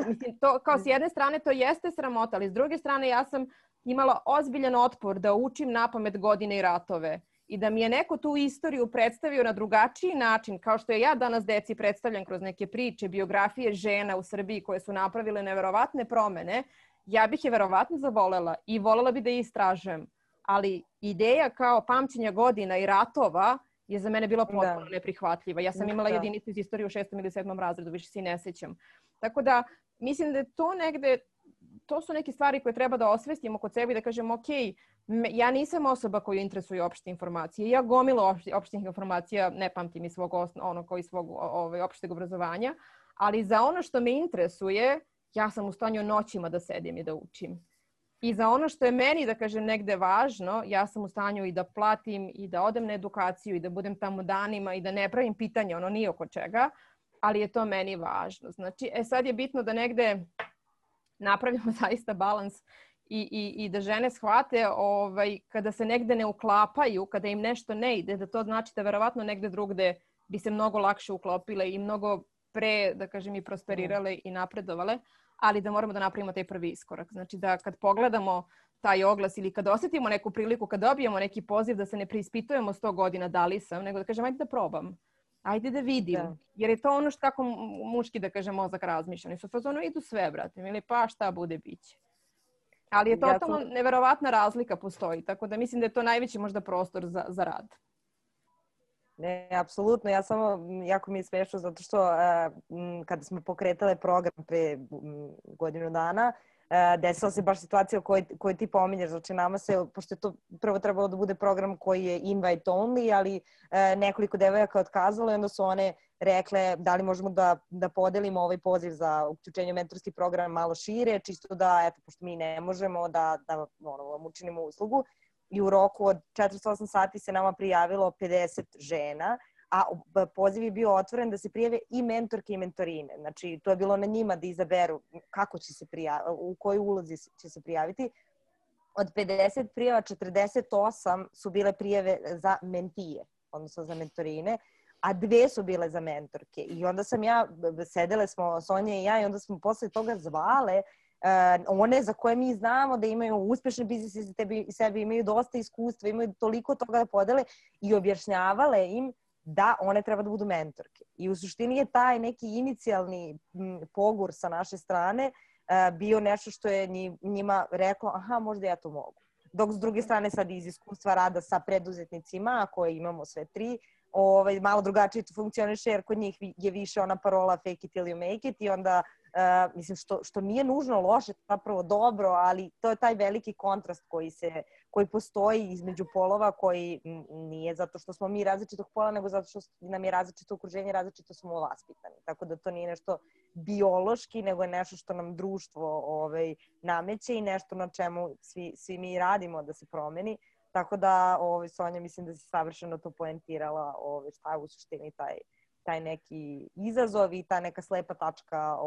Mislim, to kao s jedne strane to jeste sramota, ali s druge strane ja sam imala ozbiljan otpor da učim napamet godine i ratove. I da mi je neko tu istoriju predstavio na drugačiji način, kao što je ja danas deci predstavljam kroz neke priče, biografije žena u Srbiji koje su napravile neverovatne promene, ja bih je verovatno zavolela i volela bi da je istražujem. Ali ideja kao pamćenja godina i ratova je za mene bila potpuno neprihvatljiva. Ja sam imala jedinicu iz istorije u 6. ili 7. razredu, više se i ne sećam. Tako da mislim da je to negde, to su neke stvari koje treba da osvestimo kod sebe i da kažemo Ja nisam osoba koju interesuju opšte informacije. Ja gomilo opštih informacija ne pamtim iz svog opšteg obrazovanja, ali za ono što me interesuje, ja sam u stanju noćima da sedim i da učim. I za ono što je meni, da kažem, negde važno, ja sam u stanju i da platim i da odem na edukaciju i da budem tamo danima i da ne pravim pitanja, ono ni oko čega, ali je to meni važno. Znači, sad je bitno da negde napravimo zaista balans i da žene shvate kada se negde ne uklapaju, kada im nešto ne ide, da to znači da verovatno negde drugde bi se mnogo lakše uklopile i mnogo pre, da kažem, i prosperirale i napredovale, ali da moramo da napravimo taj prvi iskorak. Znači da kad pogledamo taj oglas ili kad osetimo neku priliku, kad dobijemo neki poziv, da se ne preispitujemo 100 godina da li sam, nego da kažem ajde da probam. Ajde da vidim. Da. Jer je to ono što kako muški, da kažem, mozak razmišlja. Oni su fazonu idu sve, brate. Ili pa šta bude, biće. Ali je totalno neverovatna razlika postoji. Tako da mislim da je to najveći možda prostor za rad. Ne, apsolutno. Ja samo, jako mi je smešno zato što kada smo pokretale program pre godinu dana, desila se baš situacija koju ti pominješ. Znači nama se, pošto je to prvo trebalo da bude program koji je invite only, ali nekoliko devojaka otkazalo i onda su one rekle da li možemo da podelimo ovaj poziv za uključenje u mentorski program malo šire, čisto da, eto, pošto mi ne možemo da vam učinimo uslugu. I u roku od 48 sati se nama prijavilo 50 žena, a poziv je bio otvoren da se prijave i mentorke i mentorine. Znači, to je bilo na njima da izaberu kako će se u kojoj ulozi će se prijaviti. Od 50 prijava, 48 su bile prijave za mentije, odnosno za mentorine, a 2 su bile za mentorke. I onda sedele smo, Sonja i ja, i onda smo posle toga zvale one za koje mi znamo da imaju uspešne biznise i sebi, imaju dosta iskustva, imaju toliko toga da podele i objašnjavale im da one treba da budu mentorke. I u suštini je taj neki inicijalni pogur sa naše strane bio nešto što je njima reklo, aha, možda ja to mogu. Dok s druge strane sad iz iskustva rada sa preduzetnicima, koje imamo sve 3, malo drugačije to funkcioniše jer kod njih je više ona parola fake it till you make it i onda mislim što nije nužno loše, zapravo dobro, ali to je taj veliki kontrast koji postoji između polova, koji nije zato što smo mi različitog pola, nego zato što nam je različito okruženje, različito smo vaspitani. Tako da to nije nešto biološki, nego je nešto što nam društvo nameće i nešto na čemu svi mi radimo da se promeni. Tako da, Sonja, mislim da si savršeno to poentirala šta je u suštini taj neki izazov i ta neka slepa tačka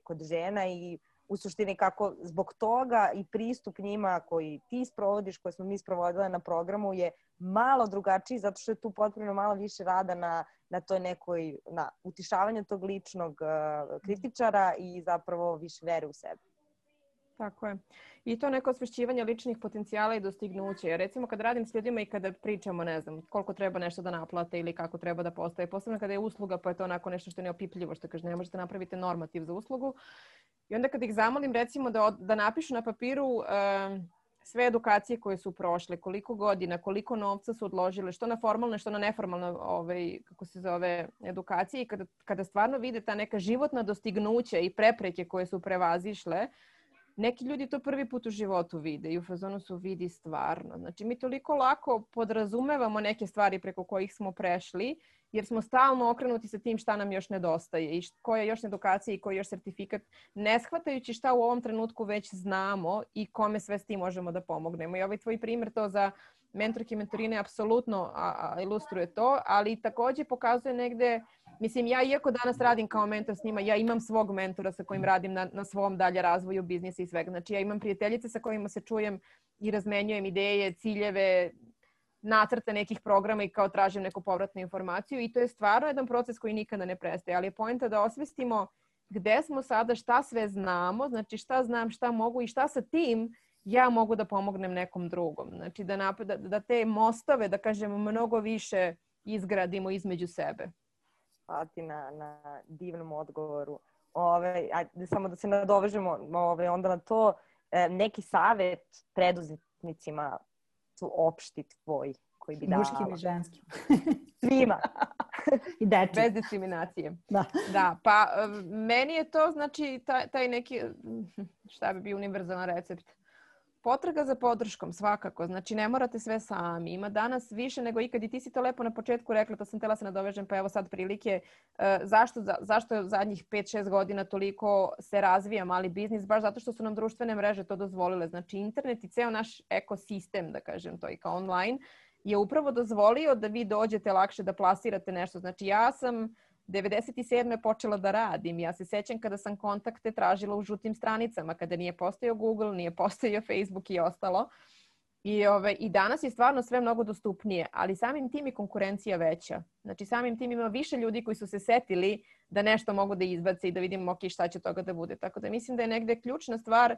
kod žena i u suštini kako zbog toga i pristup njima koji ti sprovodiš, koje smo mi sprovodile na programu je malo drugačiji zato što je tu potpuno malo više rada na toj nekoj, na utišavanju tog ličnog kritičara i zapravo više vere u sebe. Tako je. I to neko osvešćivanje ličnih potencijala i dostignuća. Jer recimo kad radim s ljudima i kada pričamo, ne znam, koliko treba nešto da naplate ili kako treba da postaje, posebno kada je usluga pa je to onako nešto što je neopipljivo, što kaže ne možete napraviti normativ za uslugu. I onda kad ih zamolim recimo da napišu na papiru sve edukacije koje su prošle, koliko godina, koliko novca su odložile, što na formalne, što na neformalne edukacije i kada stvarno vide ta neka životna dostignuća i prepreke koje su prevazišle, neki ljudi to prvi put u životu vide i u fazonu su vidi stvarno. Znači mi toliko lako podrazumevamo neke stvari preko kojih smo prešli jer smo stalno okrenuti sa tim šta nam još nedostaje i koja je još edukacija i koji je još sertifikat, ne shvatajući šta u ovom trenutku već znamo i kome sve s tim možemo da pomognemo. I ovaj tvoj primjer to za mentorke i mentorine apsolutno ilustruje to, ali također pokazuje negde, mislim, ja iako danas radim kao mentor s njima, ja imam svog mentora sa kojim radim na svom dalje razvoju biznisa i svega. Znači ja imam prijateljice sa kojima se čujem i razmenjujem ideje, ciljeve, nacrte nekih programa i kao tražim neku povratnu informaciju i to je stvarno jedan proces koji nikada ne prestaje, ali je poenta da osvestimo gde smo sada, šta sve znamo, znači šta znam, šta mogu i šta sa tim ja mogu da pomognem nekom drugom. Znači da te mostove, da kažem, mnogo više izgradimo između sebe. Hvala ti na divnom odgovoru. Samo da se nadovežemo onda na to, neki savjet preduzetnicima su opšti tvoj koji bi dala. Muškim i ženskim. Svima. I deči. Bez diskriminacije. Da, pa meni je to znači taj neki, šta bi bio univerzalan recept? Potraga za podrškom, svakako. Znači, ne morate sve sami. Ima danas više nego ikad i ti si to lepo na početku rekla, to sam htjela se nadovežem, pa evo sad prilike. Zašto je zadnjih 5-6 godina toliko se razvija mali biznis? Baš zato što su nam društvene mreže to dozvolile. Znači, internet i ceo naš ekosistem, da kažem to i kao online, je upravo dozvolio da vi dođete lakše da plasirate nešto. Znači, ja sam 97. počela da radim. Ja se sećam kada sam kontakte tražila u žutim stranicama, kada nije postojao Google, nije postojao Facebook i ostalo. I danas je stvarno sve mnogo dostupnije, ali samim tim je konkurencija veća. Znači samim tim ima više ljudi koji su se setili da nešto mogu da izbace i da vidimo šta će toga da bude. Tako da mislim da je negde ključna stvar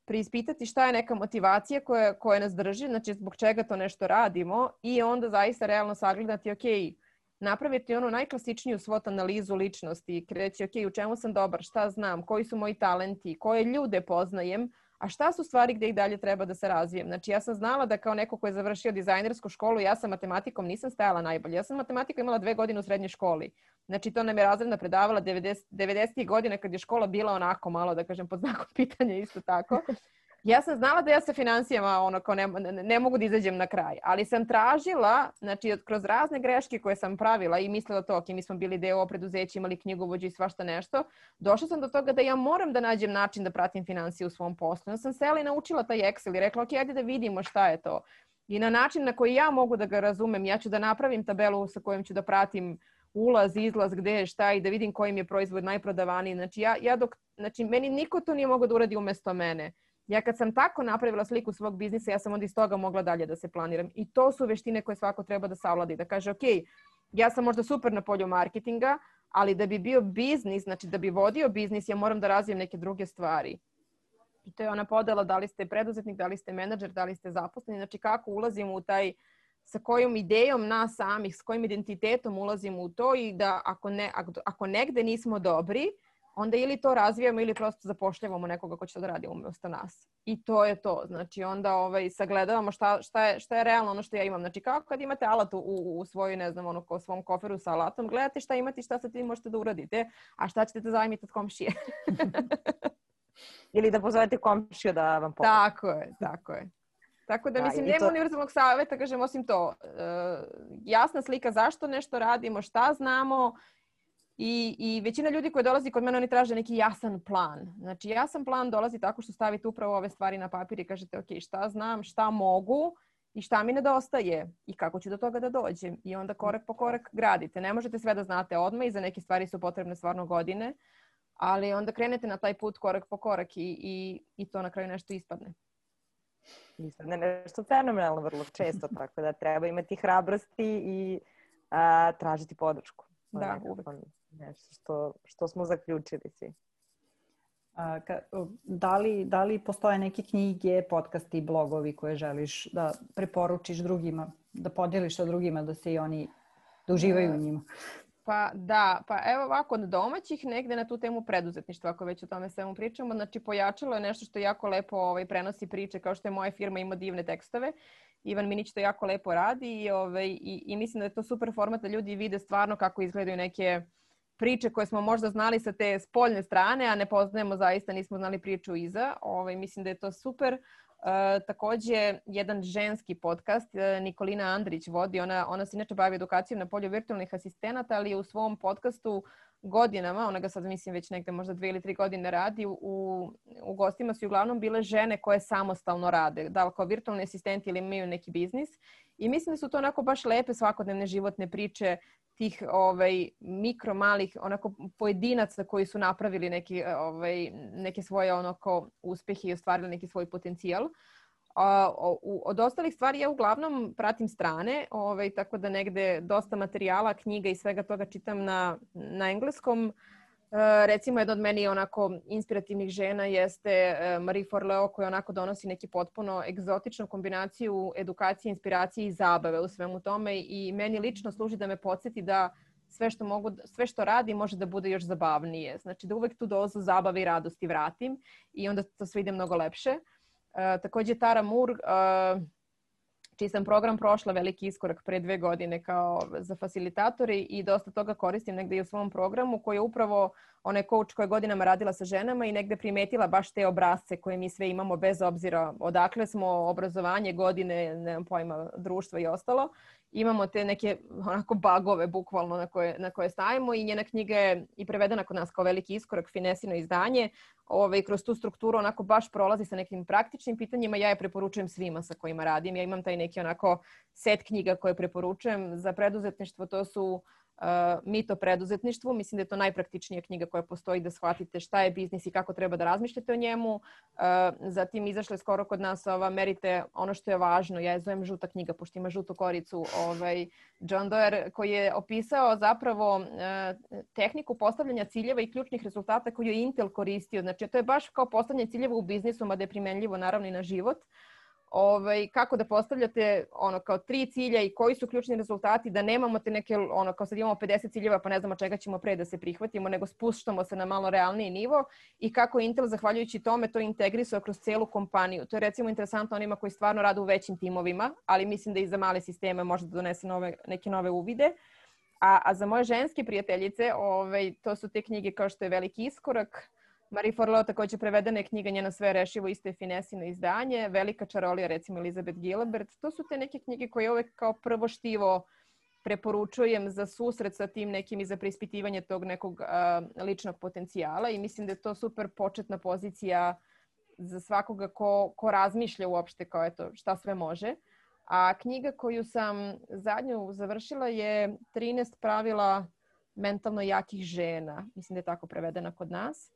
preispitati šta je neka motivacija koja nas drži, znači zbog čega to nešto radimo i onda zaista realno sagledati, napraviti onu najklasičniju SWOT analizu ličnosti i reći, u čemu sam dobar, šta znam, koji su moji talenti, koje ljude poznajem, a šta su stvari gdje i dalje treba da se razvijem. Znači, ja sam znala da kao neko ko je završio dizajnersku školu, ja sa matematikom nisam stajala najbolje. Ja sam matematiku imala 2 godine u srednjoj školi. Znači, to nam je razredna predavala 90. godine kad je škola bila onako malo, da kažem, pod znakom pitanja isto tako. Ja sam znala da ja sa financijama ne mogu da izađem na kraj, ali sam tražila, znači kroz razne greške koje sam pravila i mislila to, mi smo bili deo preduzeća, imali knjigovođu i svašta nešto, došla sam do toga da ja moram da nađem način da pratim financije u svom poslu. Ja sam sela i naučila taj Excel i rekla, ajde da vidimo šta je to. I na način na koji ja mogu da ga razumem, ja ću da napravim tabelu sa kojom ću da pratim ulaz, izlaz, gde je šta i da vidim kojim je proizvod najprodavaniji. Znači, meni niko to nije mogao da uradi umesto mene. Ja kad sam tako napravila sliku svog biznisa, ja sam onda iz toga mogla dalje da se planiram. I to su veštine koje svako treba da savladi. Da kaže, ja sam možda super na polju marketinga, ali da bi bio biznis, znači da bi vodio biznis, ja moram da razvijem neke druge stvari. I to je ona podela da li ste preduzetnik, da li ste menadžer, da li ste zaposleni. Znači kako ulazimo u taj, sa kojom idejom nas samih, s kojim identitetom ulazimo u to i da ako negde nismo dobri, onda ili to razvijamo ili prosto zapošljavamo nekoga ko će to da radi umjesto nas. I to je to. Znači onda sagledavamo šta je realno ono što ja imam. Znači kao kad imate alat u svojoj, ne znam, u svom koferu sa alatom, gledate šta imate i šta sa tim možete da uradite, a šta ćete da zajmite od komšije. Ili da pozovete komšiju da vam pomoći. Tako je. Tako da mislim, nema univerzalnog savjeta, kažem, osim to. Jasna slika zašto nešto radimo, šta znamo. I većina ljudi koji dolazi kod mene, oni traže neki jasan plan. Znači, jasan plan dolazi tako što stavite upravo ove stvari na papir i kažete, šta znam, šta mogu i šta mi nedostaje i kako ću do toga da dođem. I onda korak po korak gradite. Ne možete sve da znate odmah i za neke stvari su potrebne stvarno godine, ali onda krenete na taj put korak po korak i to na kraju nešto ispadne. Ispadne nešto fenomenalno vrlo često, tako da treba imati hrabrosti i tražiti podršku. Da, uvek. Nešto što smo zaključili svi. Da li postoje neke knjige, podcasti, blogovi koje želiš da preporučiš drugima, da podeliš sa drugima, da se i oni da uživaju u njima? Pa evo ovako, od domaćih negde na tu temu preduzetništva, ako već o tome svemu pričamo, znači Pojačalo je nešto što jako lepo prenosi priče, kao što je moja firma ima divne tekstove. Ivan Minić to jako lepo radi i mislim da je to super format da ljudi vide stvarno kako izgledaju neke priče koje smo možda znali sa te spoljne strane, a ne poznajemo zaista, nismo znali priču iza. Mislim da je to super. Također jedan ženski podcast, Nikolina Andrić vodi, ona se inače bavi edukacijom na polju virtualnih asistenata, ali je u svom podcastu godinama, ona ga sad mislim već negde možda 2 ili 3 godine radi, u gostima su uglavnom bile žene koje samostalno rade, da li kao virtualni asistenti ili imaju neki biznis. I mislim da su to onako baš lepe svakodnevne životne priče tih mikro malih onako pojedinaca koji su napravili neke svoje onako uspehe i ostvarili neki svoj potencijal. Od ostalih stvari ja uglavnom pratim strane, tako da negde dosta materijala, knjiga i svega toga čitam na engleskom. Recimo, jedna od meni onako inspirativnih žena jeste Marie Forleo, koja onako donosi neki potpuno egzotičnu kombinaciju edukacije, inspiracije i zabave u svemu tome i meni lično služi da me podsjeti da sve što radi može da bude još zabavnije. Znači da uvek tu dozu zabave i radosti vratim i onda to sve ide mnogo lepše. Također Tara Moore, čiji sam program prošla veliki iskorak pre 2 godine kao za fasilitatori i dosta toga koristim negde i u svom programu koji je upravo onaj coach koja je godinama radila sa ženama i negde primetila baš te obrasce koje mi sve imamo bez obzira odakle smo, obrazovanje, godine, nemam pojma, društva i ostalo. Imamo te neke onako bagove bukvalno na koje stavimo i njena knjiga je i prevedena kod nas kao veliki iskorak, finesino izdanje. Kroz tu strukturu onako baš prolazi sa nekim praktičnim pitanjima. Ja je preporučujem svima sa kojima radim. Ja imam taj neki onako set knjiga koje preporučujem za preduzetništvo. To su Mit o preduzetništvu. Mislim da je to najpraktičnija knjiga koja postoji da shvatite šta je biznis i kako treba da razmišljate o njemu. Zatim izašla je skoro kod nas ova Merite ono što je važno. Ja je zovem žuta knjiga, pošto ima žutu koricu. John Doerr koji je opisao zapravo tehniku postavljanja ciljeva i ključnih rezultata koju je Intel koristio. Znači, to je baš kao postavljanje ciljeva u biznisu, mada je primenljivo naravno i na život. Kako da postavljate kao 3 cilja i koji su ključni rezultati, da nemamo te neke, kao sad imamo 50 ciljeva pa ne znamo čega ćemo pre da se prihvatimo, nego spuštamo se na malo realniji nivo i kako Intel, zahvaljujući tome, to integrisao kroz celu kompaniju. To je recimo interesantno onima koji stvarno rade u većim timovima, ali mislim da i za male sisteme može da donese neke nove uvide. A za moje ženske prijateljice, to su te knjige kao što je Veliki iskorak, Marie Forleo također prevedena je knjiga Njeno sve rešivo, isto je finesino izdanje, Velika čarolija, recimo Elizabeth Gilbert. To su te neke knjige koje uvek kao prvo štivo preporučujem za susret sa tim nekim i za preispitivanje tog nekog ličnog potencijala i mislim da je to super početna pozicija za svakoga ko razmišlja uopšte kao eto šta sve može. A knjiga koju sam zadnju završila je 13 pravila mentalno jakih žena. Mislim da je tako prevedena kod nas.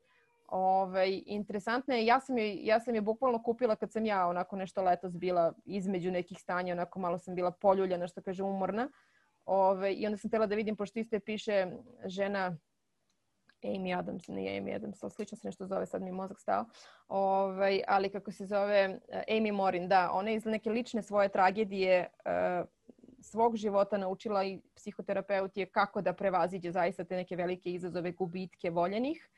Interesantno je, ja sam je bukvalno kupila kad sam ja onako nešto letos bila između nekih stanja, onako malo sam bila poljuljana, što kaže umorna. I onda sam htjela da vidim, pošto isto je piše žena Amy Adams, nije Amy Adams, ali slično se nešto zove, sad mi je mozak stao. Ali kako se zove Amy Morin, da, ona je iz neke lične svoje tragedije svog života naučila i psihoterapeut je kako da prevaziđe zaista te neke velike izazove, gubitke voljenih.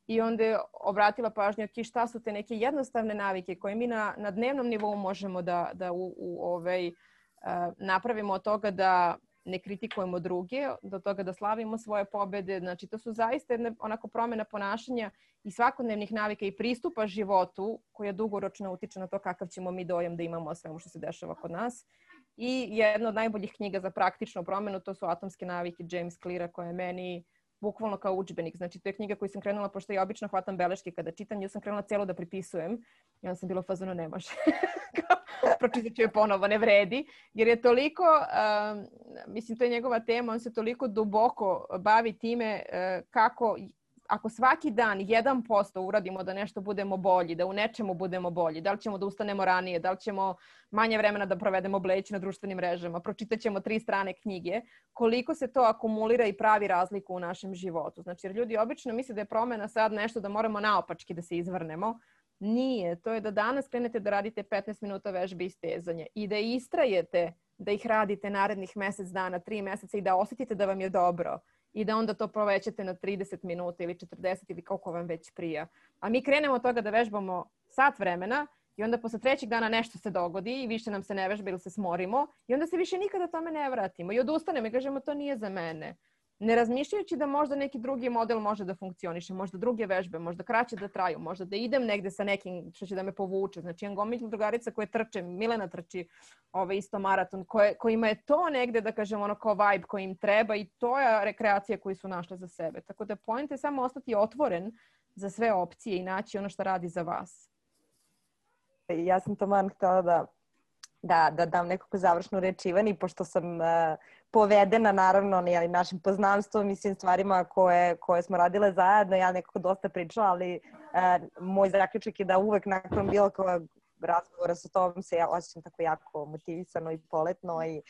I onda je obratila pažnju šta su te neke jednostavne navike koje mi na dnevnom nivou možemo da napravimo od toga da ne kritikujemo druge, do toga da slavimo svoje pobede. Znači, to su zaista onako promjena ponašanja i svakodnevnih navika i pristupa životu koja dugoročno utiče na to kakav ćemo mi dojam da imamo o svemu što se dešava kod nas. I jedna od najboljih knjiga za praktičnu promjenu, to su Atomske navike James Cleara, koja je meni bukvalno kao udžbenik. Znači, to je knjiga koju sam krenula, pošto ja obično hvatam beleške kada čitam, ja sam krenula cijelo da pripisujem. I onda sam bila u fazonu, ne može. Pročitat ću je ponovo, ne vredi. Jer je toliko, mislim, to je njegova tema, on se toliko duboko bavi time kako, ako svaki dan 1% uradimo da nešto budemo bolji, da u nečemu budemo bolji, da li ćemo da ustanemo ranije, da li ćemo manje vremena da provedemo bleći na društvenim mrežama, pročitat ćemo 3 strane knjige, koliko se to akumulira i pravi razliku u našem životu. Znači, jer ljudi obično misle da je promjena sad nešto da moramo naopački da se izvrnemo. Nije. To je da danas krenete da radite 15 minuta vežbe i stezanje i da istrajete da ih radite narednih mjesec dana, 3 mjeseca i da osjetite da vam je dobro. I da onda to povećate na 30 minuta ili 40 ili koliko vam već prija. A mi krenemo od toga da vežbamo sat vremena i onda posle 3. dana nešto se dogodi i više nam se ne vežba ili se smorimo i onda se više nikada tome ne vratimo i odustanemo i kažemo to nije za mene. Ne razmišljajući da možda neki drugi model može da funkcioniše, možda druge vežbe, možda kraće da traju, možda da idem negde sa nekim što će da me povuče. Znači, imam gomilu drugarica koje trče, Milena trči isto maraton, kojima je to negde, da kažem, ono kao vibe koji im treba i to je rekreacija koju su našle za sebe. Tako da point je samo ostati otvoren za sve opcije i naći ono što radi za vas. Ja sam taman htjela da dam nekako završnu reč Ivani, pošto sam povedena naravno našim poznanstvom, mislim stvarima koje smo radile zajedno. Ja nekako dosta pričala, ali moj zaključak je da uvek nakon bilo kojeg razgovora sa tobom se ja osjećam tako jako motivisano i poletno i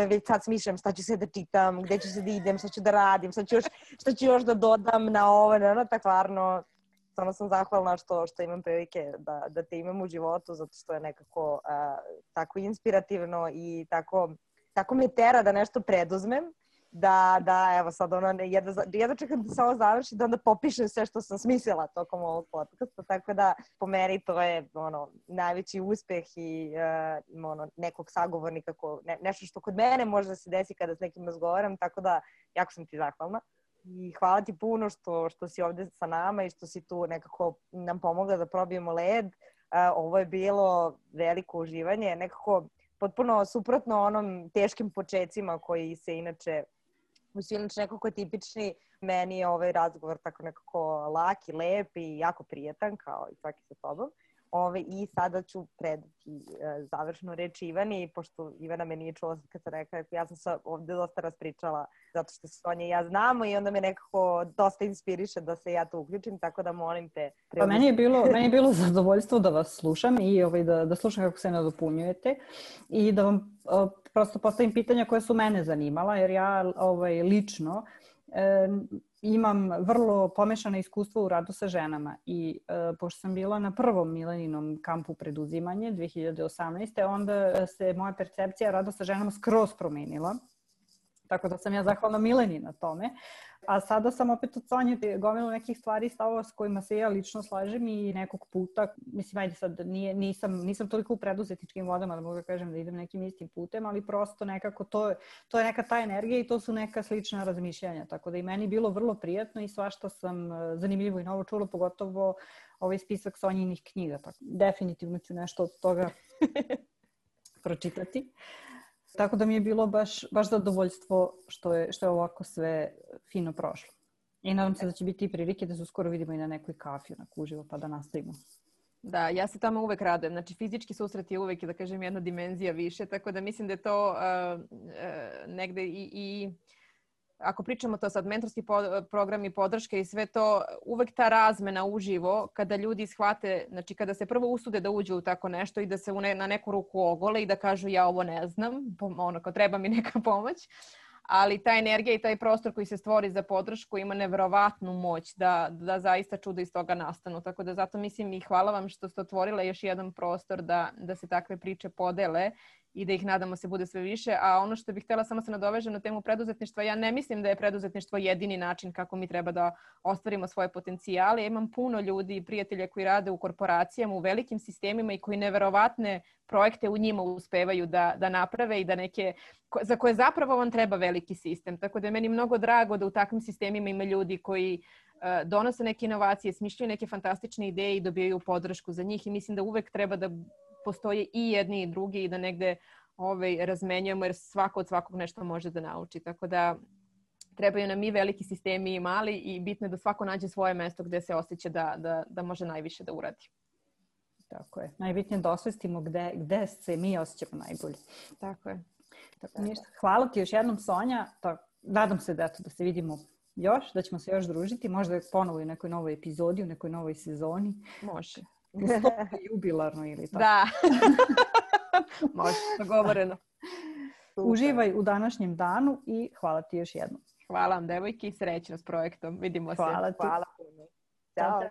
već sad smišljam šta ću se da čitam, gde ću se da idem, šta ću da radim, šta ću još da dodam na ovo, tako stvarno. Samo sam zahvalna što imam prilike da te imam u životu, zato što je nekako tako inspirativno i tako me tera da nešto preduzmem, Da, evo sad jedva čekam da se ovo završi, da onda popišem sve što sam smislila tokom ovog podcasta, tako da po meni to je najveći uspeh i nekog sagovornika, nešto što kod mene može da se desi kada s nekim razgovaram, tako da jako sam ti zahvalna. I hvala ti puno što si ovde sa nama i što si tu nekako nam pomogla da probijemo led. Ovo je bilo veliko uživanje, nekako potpuno suprotno onom teškim počecima koji se inače nekako tipični. Meni je ovaj razgovor tako nekako lak i lep i jako prijetan, kao i svaki sa tobom. I sada ću predati završnu reč Ivani, pošto Ivana me nije čula kad sam rekla, ja sam se ovde dosta raspričala zato što se Sonja i ja znamo i onda me nekako dosta inspiriše da se ja tu uključim, tako da molim te. Pa meni je bilo zadovoljstvo da vas slušam i da slušam kako se nadopunjujete i da vam prosto postavim pitanja koje su mene zanimala, jer ja lično imam vrlo pomešano iskustvo u radu sa ženama i pošto sam bila na prvom Mileninom kampu preduzimanje 2018. onda se moja percepcija rada sa ženama skroz promenila. Tako da sam ja zahvalna Mileni na tome. A sada sam opet od Sonje gomilu nekih stvari i stavova s kojima se ja lično slažem i nekog puta, mislim, ajde sad, nisam toliko u preduzetničkim vodama da mogu da kažem da idem nekim istim putem, ali prosto nekako to je neka ta energija i to su neka slična razmišljanja. Tako da i meni bilo vrlo prijatno i svašta sam zanimljivo i novo čula, pogotovo ovaj spisak Sonjinih knjiga. Tako, definitivno ću nešto od toga pročitati. Tako da mi je bilo baš zadovoljstvo što je ovako sve fino prošlo. I nadam se da će biti i prilike da se uskoro vidimo i na nekoj kafi, onako uživo, pa da nastavimo. Da, ja se tamo uvek radujem. Znači, fizički susret je uvek, da kažem, jedna dimenzija više, tako da mislim da je to negde i ako pričamo to sad, mentorski programi, podrške i sve to, uvek ta razmena uživo, kada ljudi shvate, znači kada se prvo usude da uđu u tako nešto i da se na neku ruku ogole i da kažu ja ovo ne znam, kao treba mi neka pomoć, ali ta energija i taj prostor koji se stvori za podršku ima neverovatnu moć da zaista čudo iz toga nastanu. Tako da zato mislim i hvala vam što ste otvorila još jedan prostor da se takve priče podele i da ih nadamo se bude sve više. A ono što bih htjela samo se nadovežem na temu preduzetništva, ja ne mislim da je preduzetništvo jedini način kako mi treba da ostvarimo svoje potencijale. Ja imam puno ljudi i prijatelja koji rade u korporacijama, u velikim sistemima i koji neverovatne projekte u njima uspevaju da naprave i da za koje zapravo vam treba veliki sistem. Tako da je meni mnogo drago da u takvim sistemima ima ljudi koji donose neke inovacije, smišljaju neke fantastične ideje i dobijaju podršku za njih i mislim da uvek treba da postoje i jedni i drugi i da negde razmenjujemo jer svako od svakog nešto može da nauči. Tako da trebaju nam i veliki sistemi i mali i bitno je da svako nađe svoje mesto gde se osjeća da može najviše da uradi. Tako je. Najbitnije da osvestimo gde se mi osjećamo najbolje. Tako je. Hvala ti još jednom, Sonja. Nadam se da se vidimo još, da ćemo se još družiti. Možda ponovo u nekoj novoj epizodi, u nekoj novoj sezoni. Može. Jubilarno ili tako. Da. Može, dogovoreno. Uživaj u današnjem danu i hvala ti još jednom. Hvala vam, devojki, i srećno s projektom. Vidimo se. Hvala ti. Hvala puno. Ćao.